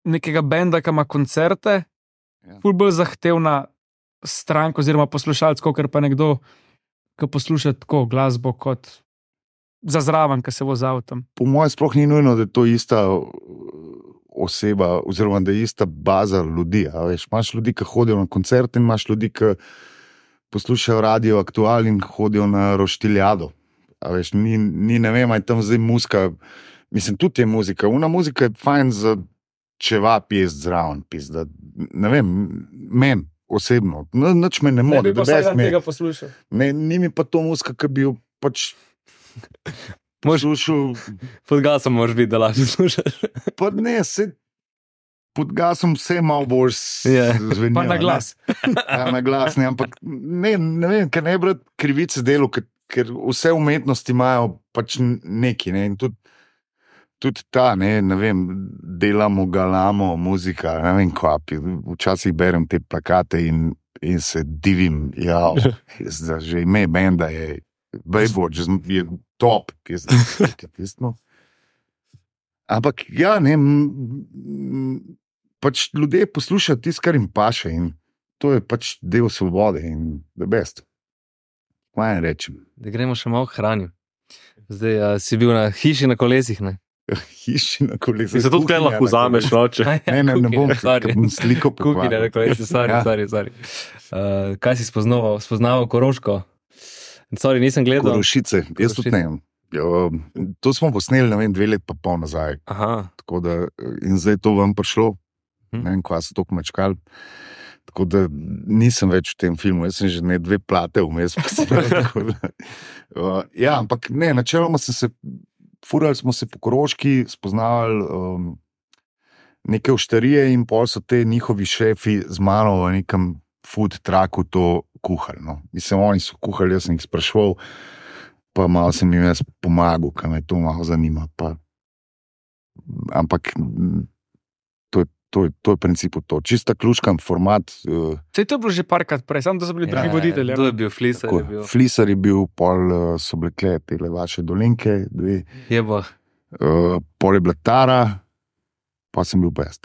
nekega benda, ki ima koncerte, ful bolj zahtevna stranka oziroma poslušalec, ker pa nekdo, ki posluša tako glasbo kot za zraven, ki se vozi avtom. Po mojem sploh ni nujno, da je to ista oseba, oziroma da je ista baza ljudi. Veš, imaš ljudi, ki hodijo na koncerte in imaš ljudi, ki poslušajo Radio Aktual in hodijo na roštiljado. Veš, ni ne vem, aj tam zdaj muzika, mislim, tudi je muzika. Una muzika je fajn za čeva pjest zraven, da, ne vem, men osebno, nič me ne more. Ne bi pa vsega tega poslušal. Ne, ni mi pa to muzika, ki bi jo pač poslušal. Pod gasom moraš biti, da lažje slušaš. Pa ne, pod gasom vse malo bolj zvenijo. Pa na glas. Ja, na glas, ne, ampak ne vem, ker ne bi krivice delo, ker vse umetnosti imajo pač neki, ne, in tudi ta, ne vem, delamo, galamo, muzika, ne vem, kvapi. Včasih berem te plakate in in se divim. Ja, že ime benda je Baywatch, je top. Ampak ja, ne, pač ljudje poslušajo tisto, kar jim paše in to je pač del svobode in the best. Kaj rečem? Da gremo še malo k hrani. Zdaj si bil na hiši na kolesih, ne? Hiši na kolesih. In zato tukaj lahko vzameš noče. Ne bom, ker bom sliko Kuhinja na kolesih, sorry. Kaj si spoznaval Koroško? Sorry, nisem gledal. Korošice, jaz tudi ne. To smo posneli, 2 leti pa pol nazaj. Aha. Tako da, in zdaj to vam prišlo, ne vem, kva so toliko mečkali. Tako da nisem več v tem filmu, jaz sem že 2 plate vmes. Ja, ampak ne, načeloma furali smo se po Koroški, spoznavali neke oštarije in pol so te njihovi šefi z mano v nekem food trucku to kuhali. No. Mislim, oni so kuhali, jaz sem jih spraševal, pa malo sem jim jaz pomagal, kaj me to malo zanima. Ampak to je v principu to. Čista ključkam format. Sej to je bilo že parkrat prej, samo da so bili drugi voditelji. To je bil Flisar. Flisar je bil, pol so bile tele vaše dolinke, 2. Jebo. Pol je bila Tara, pa sem bil pa jaz.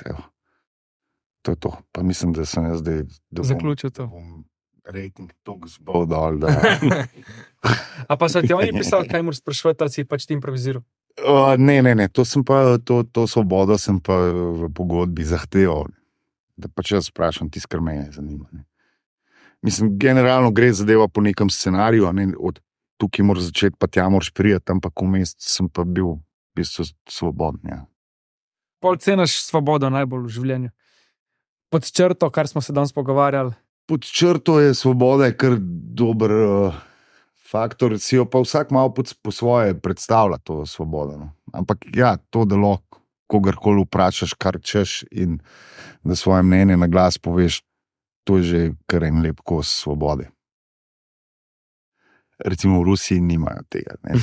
To je to. Pa mislim, da sem jaz zdaj zaključil to. Rating toliko zbol dol. A pa so ti oni pisali, kaj moraš sprašovati, ali si pač ti improviziral? Ne, to svobodo sem pa v pogodbi zahteval, da pač jaz sprašam tisto, kar me zanima. Ne. Mislim, generalno gre zadeva po nekem scenariju, ne, od tukaj moraš začeti, pa tja moraš prijeti, ampak vmes sem pa bil v bistvu svoboden. Ja. Pol cenaš svobodo najbolj v življenju? Pod črto, kar smo se danes pogovarjali? Pod črto je svoboda kar dober faktor, si jo pa vsak malo po svoje predstavlja to svobodo. No. Ampak ja, to, da lahko kogarkoli vprašaš, kar češ in da svoje mnenje na glas poveš, to je že kar en lep kos svobode. Recimo v Rusiji nimajo tega. Ne,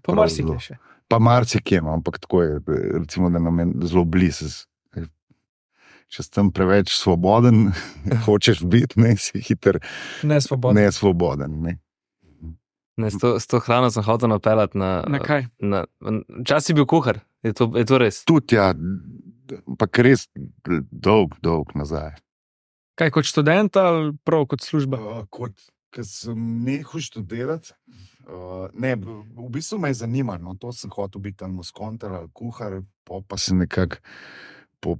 pa marsikje še. Pa marsikje, no, ampak tako je, recimo, da nam je zelo blizu. Če si tam preveč svoboden, hočeš biti, ne, si hiter nesvoboden. Ne. S to hrano sem hotel napeljati na kaj? Čas si bil kuhar, je to res? Tudi ja, ampak res dolg nazaj. Kaj kot študent ali prav kot služba? Ko sem nehal študirati, ne, v bistvu me je zanimalo, no, to sem hotel biti tam muskontar ali kuhar, pa se nekako po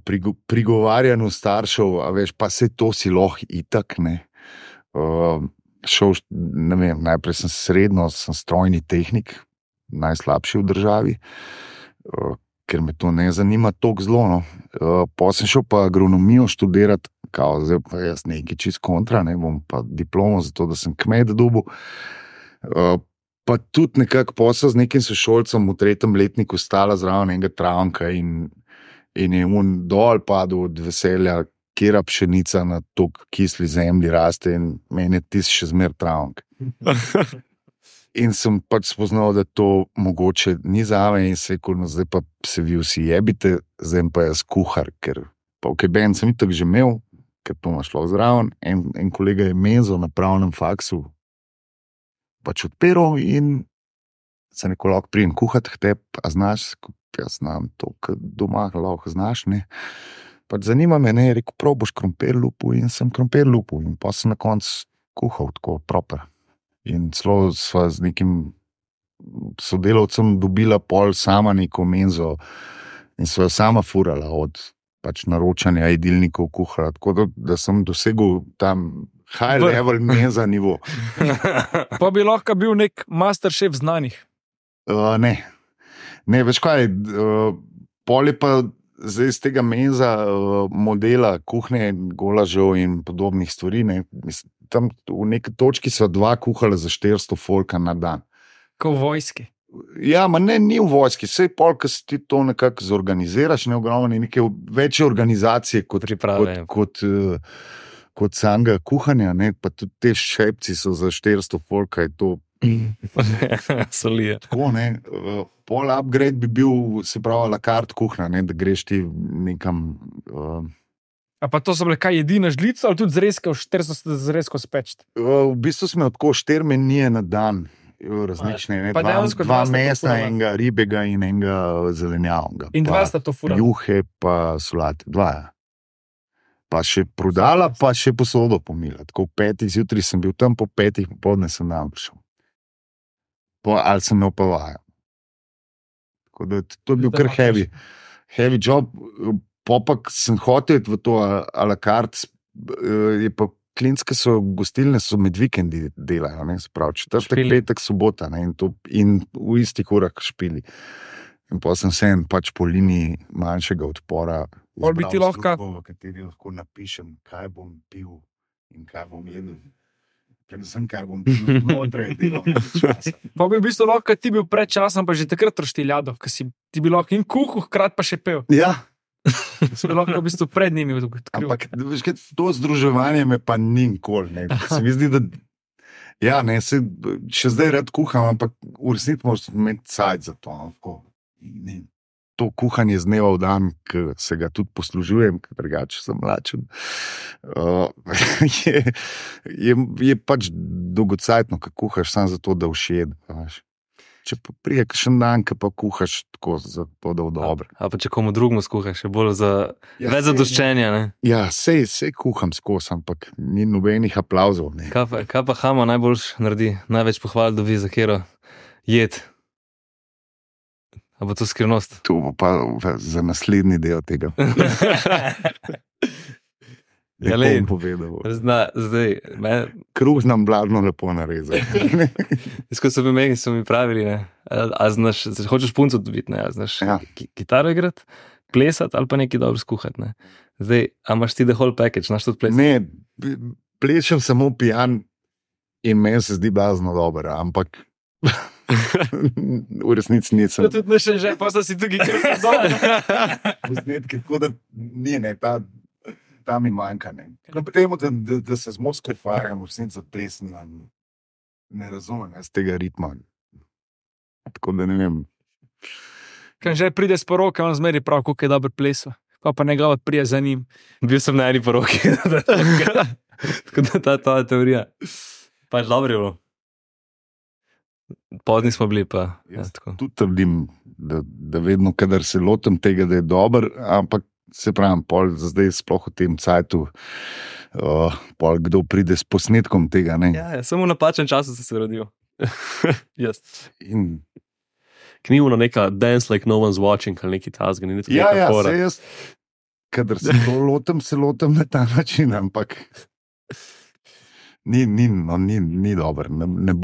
prigovarjanju staršev, a veš, pa se to si lahko itak, ne. Šel, ne vem, najprej sem strojni tehnik, najslabši v državi, ker me to ne zanima toliko zelo. No. Pa sem šel pa agronomijo študirati, kao zdaj pa jaz nekaj čist kontra, ne, bom pa diplomo za to, da sem kmet dobil. Pa tudi nekako posel z nekim sošolcem v 3. letniku stala zraven enega travnika in je dol padel od veselja, kjera pšenica na tok kisli zemlji raste in meni je tisti še zmer travnik. In sem pač spoznal, da to mogoče ni zame in se no, zdaj pa se vi vsi jebite, zdaj pa jaz kuhar, ker pa v KBN sem itak že imel, ker to ima šlo zraven, en kolega je menzo na pravnem faksu pač odpiral in se neko lahko prijem kuhati k tebi, a znaš, jaz znam to, kad doma lahko znaš, ne. Pač zanima me, ne, rekel, prav boš krompir lupil in sem krompir lupil in pa sem na koncu kuhal tako proper. In celo sva z nekim sodelavcem dobila pol sama neko menzo in sva sama furala od pač naročanja jedilnikov kuhala, tako da sem dosegel tam high level menza nivo. Pa bi lahko bil nek masterchef znanih. Ne, veš kaj, pol je pa zdaj iz tega menza modela kuhnje, golažev in podobnih stvari, ne, tam v neki točki so 2 kuhala za 400 folka na dan. Ko v vojski. Ja, ma ne, ni v vojski, sej pol, ko si ti to nekako zorganiziraš, ne ogromno, neke večje organizacije kot samega kuhanja, ne, pa tudi te šepci so za 400 folka, je to solije. Tako, ne, pol upgrade bi bil, se pravi, la carte kuhna, ne, da greš ti nekam A pa to so bile kaj jedina žlica, ali tudi zrezke, zrezko speč? V bistvu smo tako 4 menije na dan, različne. Pa dejansko 2 dva sta to mesa, furala. enega ribega in enega zelenjavnega. In 2 Pa sta to furala. juhe, pa solate, 2. Ja. Pa še prodala, pa še posodo pomila. Tako 5 zjutraj sem bil tam, po 5 popoldne sem tam prišel. Ali sem imel pa vajo. Tako da to je bil kar heavy job. Popak sem hotel iti v to a la carte, je pa klinske so gostilne, so med vikendi delajo, ne, se pravi, četrtek, Špili. petek, sobota, ne, in v istih urah špili. In pa sem se pač po liniji manjšega odpora Pol bi ti izbral lahko- službo, v kateri lahko napišem, kaj bom pil in kaj bom jedel. Predvsem, kaj bom pil znotraj delovnega časa. Pa bi v bistvu lahko ti bil pred časom, pa že takrat roštiljado, ker si ti bil lahko in kuhal, hkrati pa še pel. Ja, Si bil lahko v bistvu pred njimi odkril. ampak veš, kaj, to združevanje me pa ni nikoli. Ne. Se mi zdi, da ja, ne, še zdaj rad kuham, ampak v resnici moraš imeti cajt za to. No, tako. Ne. To kuhanje z dneva v dan, ki se ga tudi poslužujem, ker drugače sem mlačen, je pač dolgocajtno, ko kuhaš samo zato, da všed. Če pa prije kakšen dan, ki pa kuhaš tako, zato da bo dobro. A pa če komu drugemu skuhaš, je bolj za več zadoščenja. Ne? Ja, sej kuham skozi, ampak ni nobenih aplavzov. Ne. Kaj pa Hamo najbolj naredi, največ pohval dobi za kero jed? A bo to skrivnost? To bo pa za naslednji del tega. Ja, Lepo lej. bom povedal. Zdaj, Kruh znam bladno lepo narezati. ko so mi pravili, ne, a znaš, hočeš punco dobiti, ne, a znaš Ja. kitaro igrati, plesati ali pa nekaj dobro skuhati. Ne. Zdaj, a imaš ti the whole package, znaš tudi plesati? Ne, plešem samo pijan in meni se zdi blazno dobro, ampak v resnici nisem. To tudi ne še že, pa si tukaj kar dol. Posnetki, tako da ni, ne, ta mi manjka. Ne. Temu, da se z Moskvo fajam, v resnici za plesen, ne razumem jaz tega ritma. Tako da ne vem. Kaj že pride s poroke, on zmeri prav, koliko je dobro plesal. Pa njegova prije za njim. Bil sem na eni poroki. Tako da ta teorija. Pač dobro je bilo. Pozni smo bili pa. Ja, tako. Tudi trdim, da vedno, kadar se lotim tega, da je dober, ampak se pravim, pol zdaj sploh v tem cajtu, pol kdo pride s posnetkom tega. Ne? Ja, samo v napačen času se rodil. Jaz. In, Knjivo neka dance like no one's watching, ali neki tasga, ni tako ja, fora. se jaz, kadar se to lotim, se lotim na ta način, ampak ni dober, ne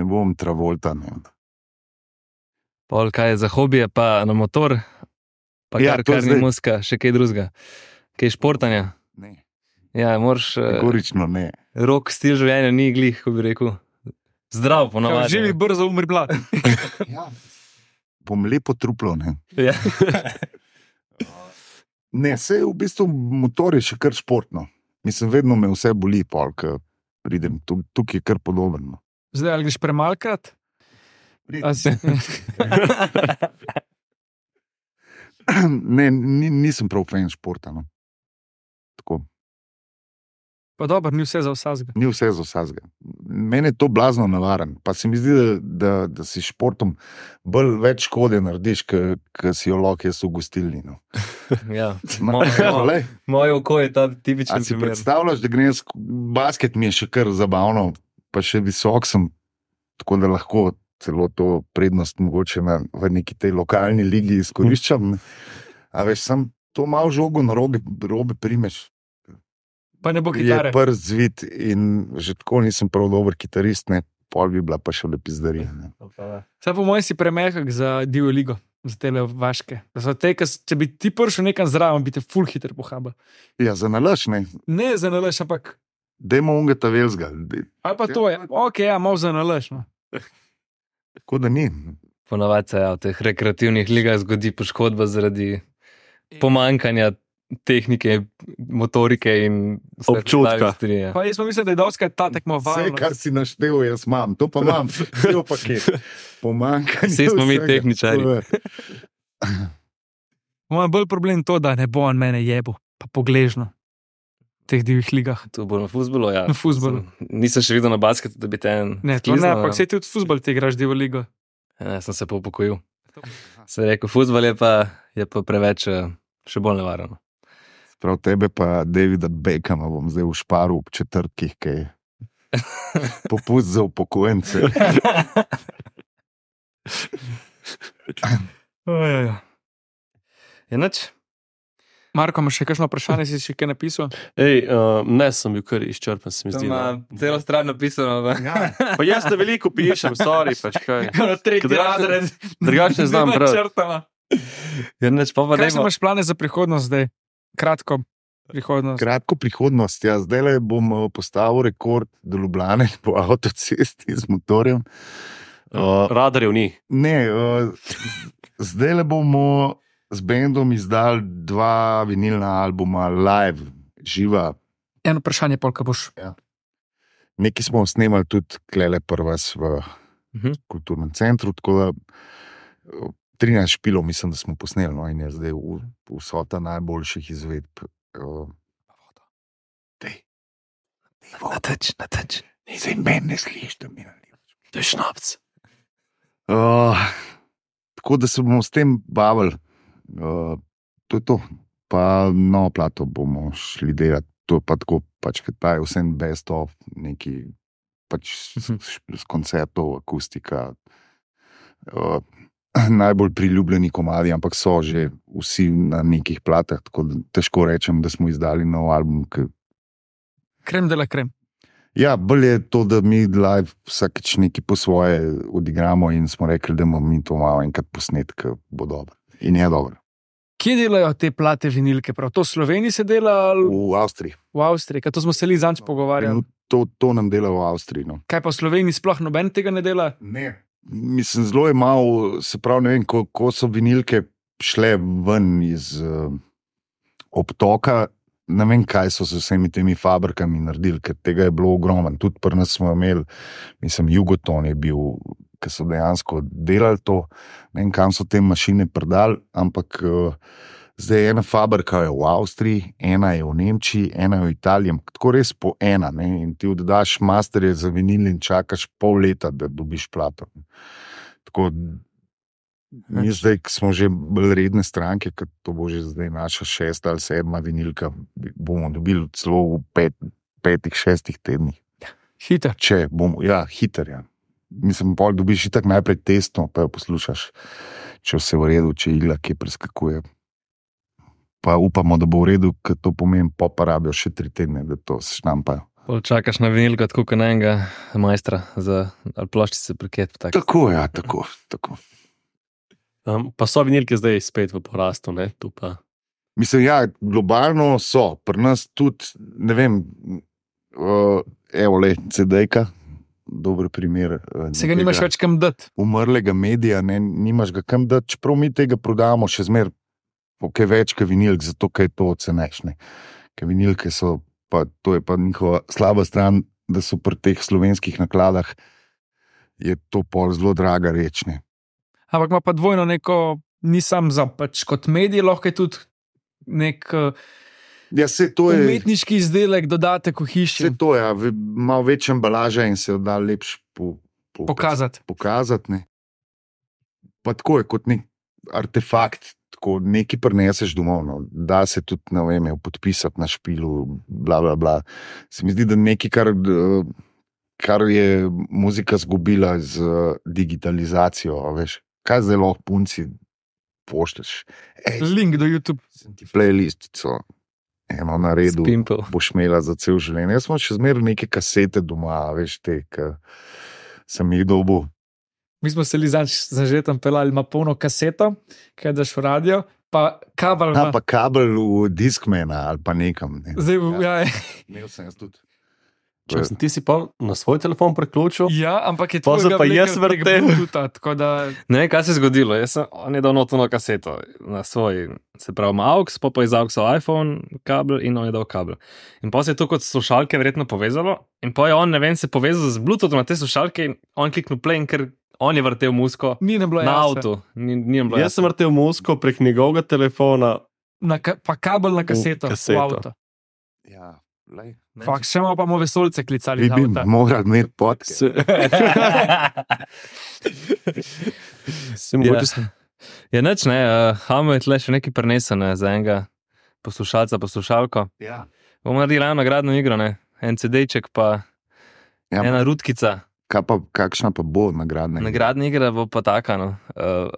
bom Travolta. Ne. Pol kaj je za hobije, pa na motor, pa Ja, to kar ni zdaj- muska, še kaj drugega. Kaj športanja. Ne, Ja, moraš, kategorično ne. rok stil življenja ni glih, ko bi rekel. Zdrav, Kao, ponovadi. živi brzo, umri mlad. Ja. Bom lepo truplo, ne. Ja. Ne, se v bistvu motor je še kar športno. Mislim, vedno me vse boli, pol, ko pridem. Tukaj je kar podobno. Zdaj, ali greš premalkrat? A si- Ne, nisem prav fan športa. No. Tako, Pa dobro, ni vse za vsazga. ni vse za vsega. Mene je to blazno navaren. Pa se mi zdi, da si športom več škode narediš, ker si jo lahko jaz v gostilni. No. Ja. Lej, Moje oko je ta a tipičen si primer. predstavljaš, da grem basket, mi je še kar zabavno, pa še visok sem, tako da lahko celo to prednost mogoče v neki tej lokalni ligi izkoriščam. Ne. A veš, sam to malo žogo na robe primeš. Pa ne bo Je kitare. prst zvit in že tako nisem prav dober kitarist, ne, pol bi bila pa še lepizdarija. Ne. Saj po mojem si premehak za divjo ligo, za tele vaške. Če bi ti prišel nekam zraven, bi te full hiter pohaba. Ja, za nalaž, ne, Ne za nalaž, ampak. dajmo ungeta velzga, Ali pa to je. Ok, ja, malo za nalaž. No. tako da ni. Ponavadi se v teh rekreativnih ligah zgodi poškodba zaradi pomankanja tehnike, motorike in vse Občutka. ostale stvari, ja. Pa jaz pa mislim, da je doskrat ta Vse, tekmovalnost. kar si naštel, jaz imam, to pa imam, cel paket. Pomankanje. Vsi smo mi vsega. tehničarji. To je. Moj bolj problem je to, da ne bo on mene jebo. pa pogležno v teh divjih ligah. Tu bo na fuzbolu, ja. Na fuzbolu. Nisem še videl na basketu, da bi te en. Ne, to ne, ampak sej tudi v fuzbol ti igraš divjo ligo. Ne, sem se pa upokojil. Se rekel, fuzbol je pa preveč, še bolj nevarno. Prav tebe pa Davida Beckhama bom zdaj v šparu ob četrtkih, kaj je popust za upokojence. Je nič? Marko, imaš še kakšno vprašanje, si še kaj napisal? Ne, sem bil kar izčrpen, se mi zdi. Celo stran napisano. Pa jaz te veliko pišem, sorry, pač kaj. Tretji razred. Drugače ne znam prav. Je nič, pa Kaj imaš plane za prihodnost zdaj? Kratko prihodnost. Kratko prihodnost, ja, zdaj bom postavil rekord do Ljubljane po avtocesti z motorjem. Radarjev ni. Ne, zdaj bomo z bendom izdali 2 vinilna albuma live, živa. Eno vprašanje, polka boš. Ja. Nekaj smo snemali tudi klele prvas v kulturnem centru, tako da 13 špilov mislim, da smo posneli, no, in je zdaj vsota najboljših izvedb. Na teč. Zdaj meni ne sliš, da mi nalivaš. To je šnapc. Tako da se bomo s tem bavili. To je to. Pa novo plato bomo šli delati. To je pa tako, pač, ker ta je vsem best of, neki pač z koncertov, akustika. Najbolj priljubljeni komadi, ampak so že vsi na nekih platah, tako da težko rečem, da smo izdali nov album. Krem de la krem. Ja, bolj je to, da mi live vsakeč nekaj po svoje odigramo in smo rekli, da bomo mi to malo enkrat posnet, ker bo dobro. In je dobro. Kje delajo te plate vinilke? Prav to v Sloveniji se dela? V Avstriji. V Avstriji, to smo se li zanč pogovarjali. To nam dela v Avstriji. No. Kaj pa v Sloveniji sploh noben tega ne dela? Ne. Mislim, zelo je malo, se pravi, ne vem, ko so vinilke šle ven iz obtoka, ne vem, kaj so se vsemi temi fabrikami naredili, ker tega je bilo ogromno. Tudi pri nas smo imeli, mislim, Jugoton je bil, ki so dejansko delali to, ne vem, kam so te mašine prodali, ampak zdaj ena fabrika je v Avstriji, ena je v Nemčiji, ena je v Italiji, tako res po ena, ne? In ti oddaš masterje za vinil in čakaš pol leta, da dobiš plato. Tako, mi zdaj, ki smo že bolj redne stranke, ker to bo že zdaj naša 6. ali 7. vinilka, bomo dobili celo v 5-6 tednih. Hiter. Če bomo, ja, hiter, ja. Mislim, pol dobiš itak najprej testno, pa jo poslušaš, če vse v redu, če igla kje preskakuje. Pa upamo, da bo v redu, ker to pomeni, pa rabijo še 3 tedne, da to štampajo. Čakaš na vinilko, tako kot na enega majstra za ploščice priket. Tako, ja, tako. Pa so vinilke zdaj spet v porastu, ne? Tu pa. Mislim, ja, globalno so. Pri nas tudi, ne vem, evo le, CD-ka, dober primer. Se ga nimaš več kam dati. Umrlega medija, ne, nimaš ga kam dati, čeprav mi tega prodamo še zmer kaj več kot vinilk, zato kaj to oceneš. Ker vinilke so, pa to je pa njihova slaba stran, da so pri teh slovenskih nakladah je to pol zelo draga reč. Ne. Ampak ima pa dvojno neko, ni sam za pač kot medij, lahko je tudi nek ja, to je, umetniški izdelek, dodatek v hiši. Vse to je, ja, malo več embalaža in se jo da lepš pokazati. Ne. Pa tako je kot nek artefakt, tako nekaj prineseš domov, no. Da se tudi, ne vem, podpisati na špilu, bla, bla, bla. Se mi zdi, da nekaj, kar je muzika zgubila z digitalizacijo, veš, kaj zdaj lahko punci pošlješ. Link do YouTube. Sem ti playlistico eno na redu, boš imela za cel življenje. Jaz sem še zmeraj neke kasete doma, veš, te, ki sem jih dobil. Mi smo se li zažetam pelali, ima polno kaseto, kaj daš v radio, pa kabel. Pa kabel v Discmana ali pa nekam. Ne. Zdaj, ja. Imel sem jaz tudi. Ti si pa na svoj telefon preključil? Ja, ampak je tvojega pa jaz vrtel. Ne vem, kaj se je zgodilo. On je dal notono kaseto na svoj, se pravi, AUX, pa iz AUX-a iPhone kabel in on je dal kabel. In pa se je to kot slušalke verjetno povezalo in pa je on, ne vem, se povezal z Bluetoothom na te slušalke in on kliknil play, ker on je vrtel muziko na avtu. Jaz sem vrtel muziko prek njegovega telefona pa kabel na kaseto. kaseto. V avto. Ja, lej. Fak, še malo pa bomo vesolce klicali. Vi iz bi avta. morali imeti podcast. Se mogoče sem. Ja, nič ne, Hamo je tle še nekaj prenesene za enega poslušalca, poslušalko. Ja. Bomo naredili eno nagradno igro, ne? En CD-ček pa Ja, ena rutkica. kakšna pa bo nagradna? Nagradna igra bo pa taka, no.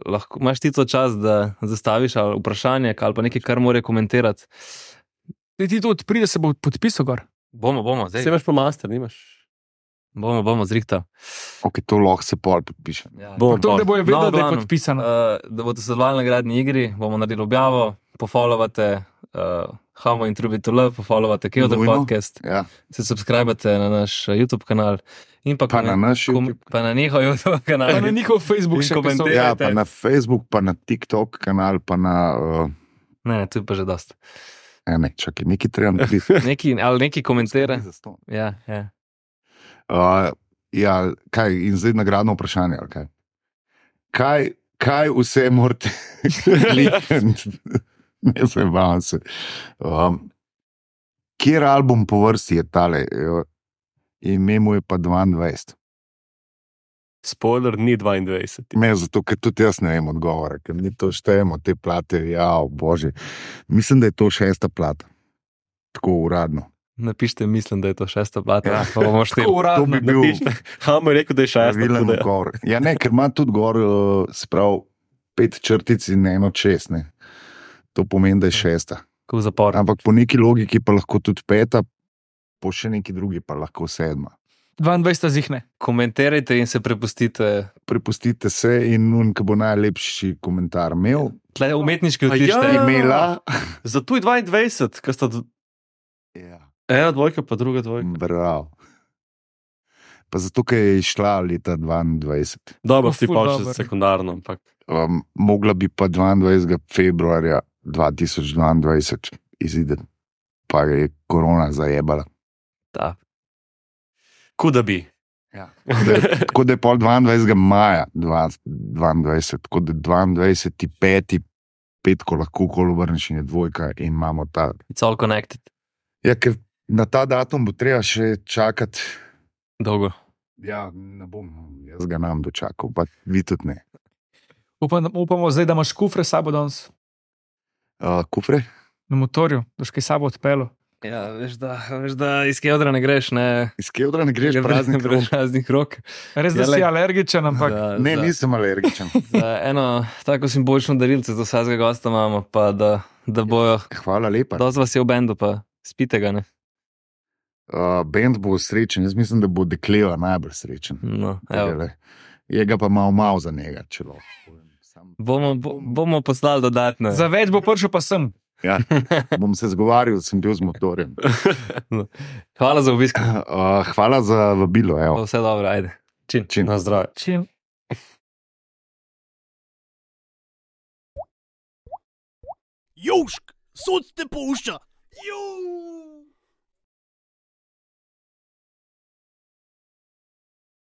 Lahko imaš ti to čas, da zastaviš ali vprašanje ali pa nekaj, kar mora komentirati. Ti tu odpride, se bo podpisal gor. Bomo, Se zdaj. imaš pa master, nimaš? Bomo zrihtali. Ok, to lahko se pol podpiše. Ja. Bom To, da bojo vedeli, No, da je glavno, podpisano. Da boste sodelovali na nagradni igri, bomo naredili objavo, pofollowate Hamo in Truby to Love, pofollowate Keodor Nujno. podcast, Ja. se subskrbate na naš YouTube kanal in pa, Pa na naš YouTube. pa na njihov YouTube kanal. Pa na njihov Facebook In še komentirajte. Ja, pa na Facebook, pa na TikTok kanal, pa na... Ne, tu je pa že dost. Ne, čakaj, nekaj treba napisati. Neki komentira. Ja. Ja, kaj, in zdaj nagradno vprašanje, ali kaj? Kaj vse morate klikniti? Ne se bavim se. Kjer album po vrsti je tale? Ime mu je pa 22. Spoiler, ni 22. Me, zato, ker tudi jaz ne vem odgovore, ker mi to štejemo, te plate, ja, bože. Mislim, da je to 6. plata. Tako uradno. Napišite, mislim, da je to 6. plata. Ja. Pa bomo šteli. Tako uradno. To bi bil Hamo je rekel, da je 6. pravilen odgovor. Ja, ne, ker ima tudi gor, se pravi, 5 črtic in 1 6. Ne. To pomeni, da je 6. Kot zapor. Ampak po neki logiki pa lahko tudi 5, po še neki drugi pa lahko 7. 22 zihne. Komentirajte in se prepustite. Prepustite se in nun, ki bo najlepši komentar imel, Tle umetniški A vtište. ja. imela. Zato je 22, ker sta Ja, ena dvojka, pa druga dvojka. bravo. Pa zato, ker je išla leta 22. Dobro, Tako ti ful pa dober. še sekundarno, ampak Mogla bi pa 22. februarja 2022 izideti, pa je korona zajebala. Ta. kuda bi. Ja. Tako da je pol 22. maja 2022, tako da 22. 5. petko lahko kolo vrneš in je dvojka in imamo ta. It's all connected. Ja, ker na ta datum bo treba še čakati. Dolgo. Ja, ne bom, jaz ga nam dočakal, pa vi tudi ne. Upamo zdaj, da imaš kufre s sabo danes Kufre? na motorju, da boš kaj s sabo odpeljal. Ja, veš, da iz Keodra ne greš, ne. Iz Keodra ne greš praznih rok. Praznih rok. Res, da Ja, si lej. alergičen, ampak Ne, nisem alergičen. Za eno tako simbolično darilce za vsakega gosta imamo, pa da bojo. Hvala lepa. Dosti vas je v bendu, pa spite ga, ne. Bend bo srečen, jaz mislim, da bo Dekleva najbolj srečen. No, evo. Je ga pa malo za njega, če lahko. Bomo poslali dodatne. za več bo prišel pa sem. Ja, bom se zgovarjal, sem bil z motorjem. Hvala za obisk. Hvala za vabilo. Evo. Vse dobro, ajde. Čin. Na zdravje. Čim. Južk, sod te pušča. Juuu.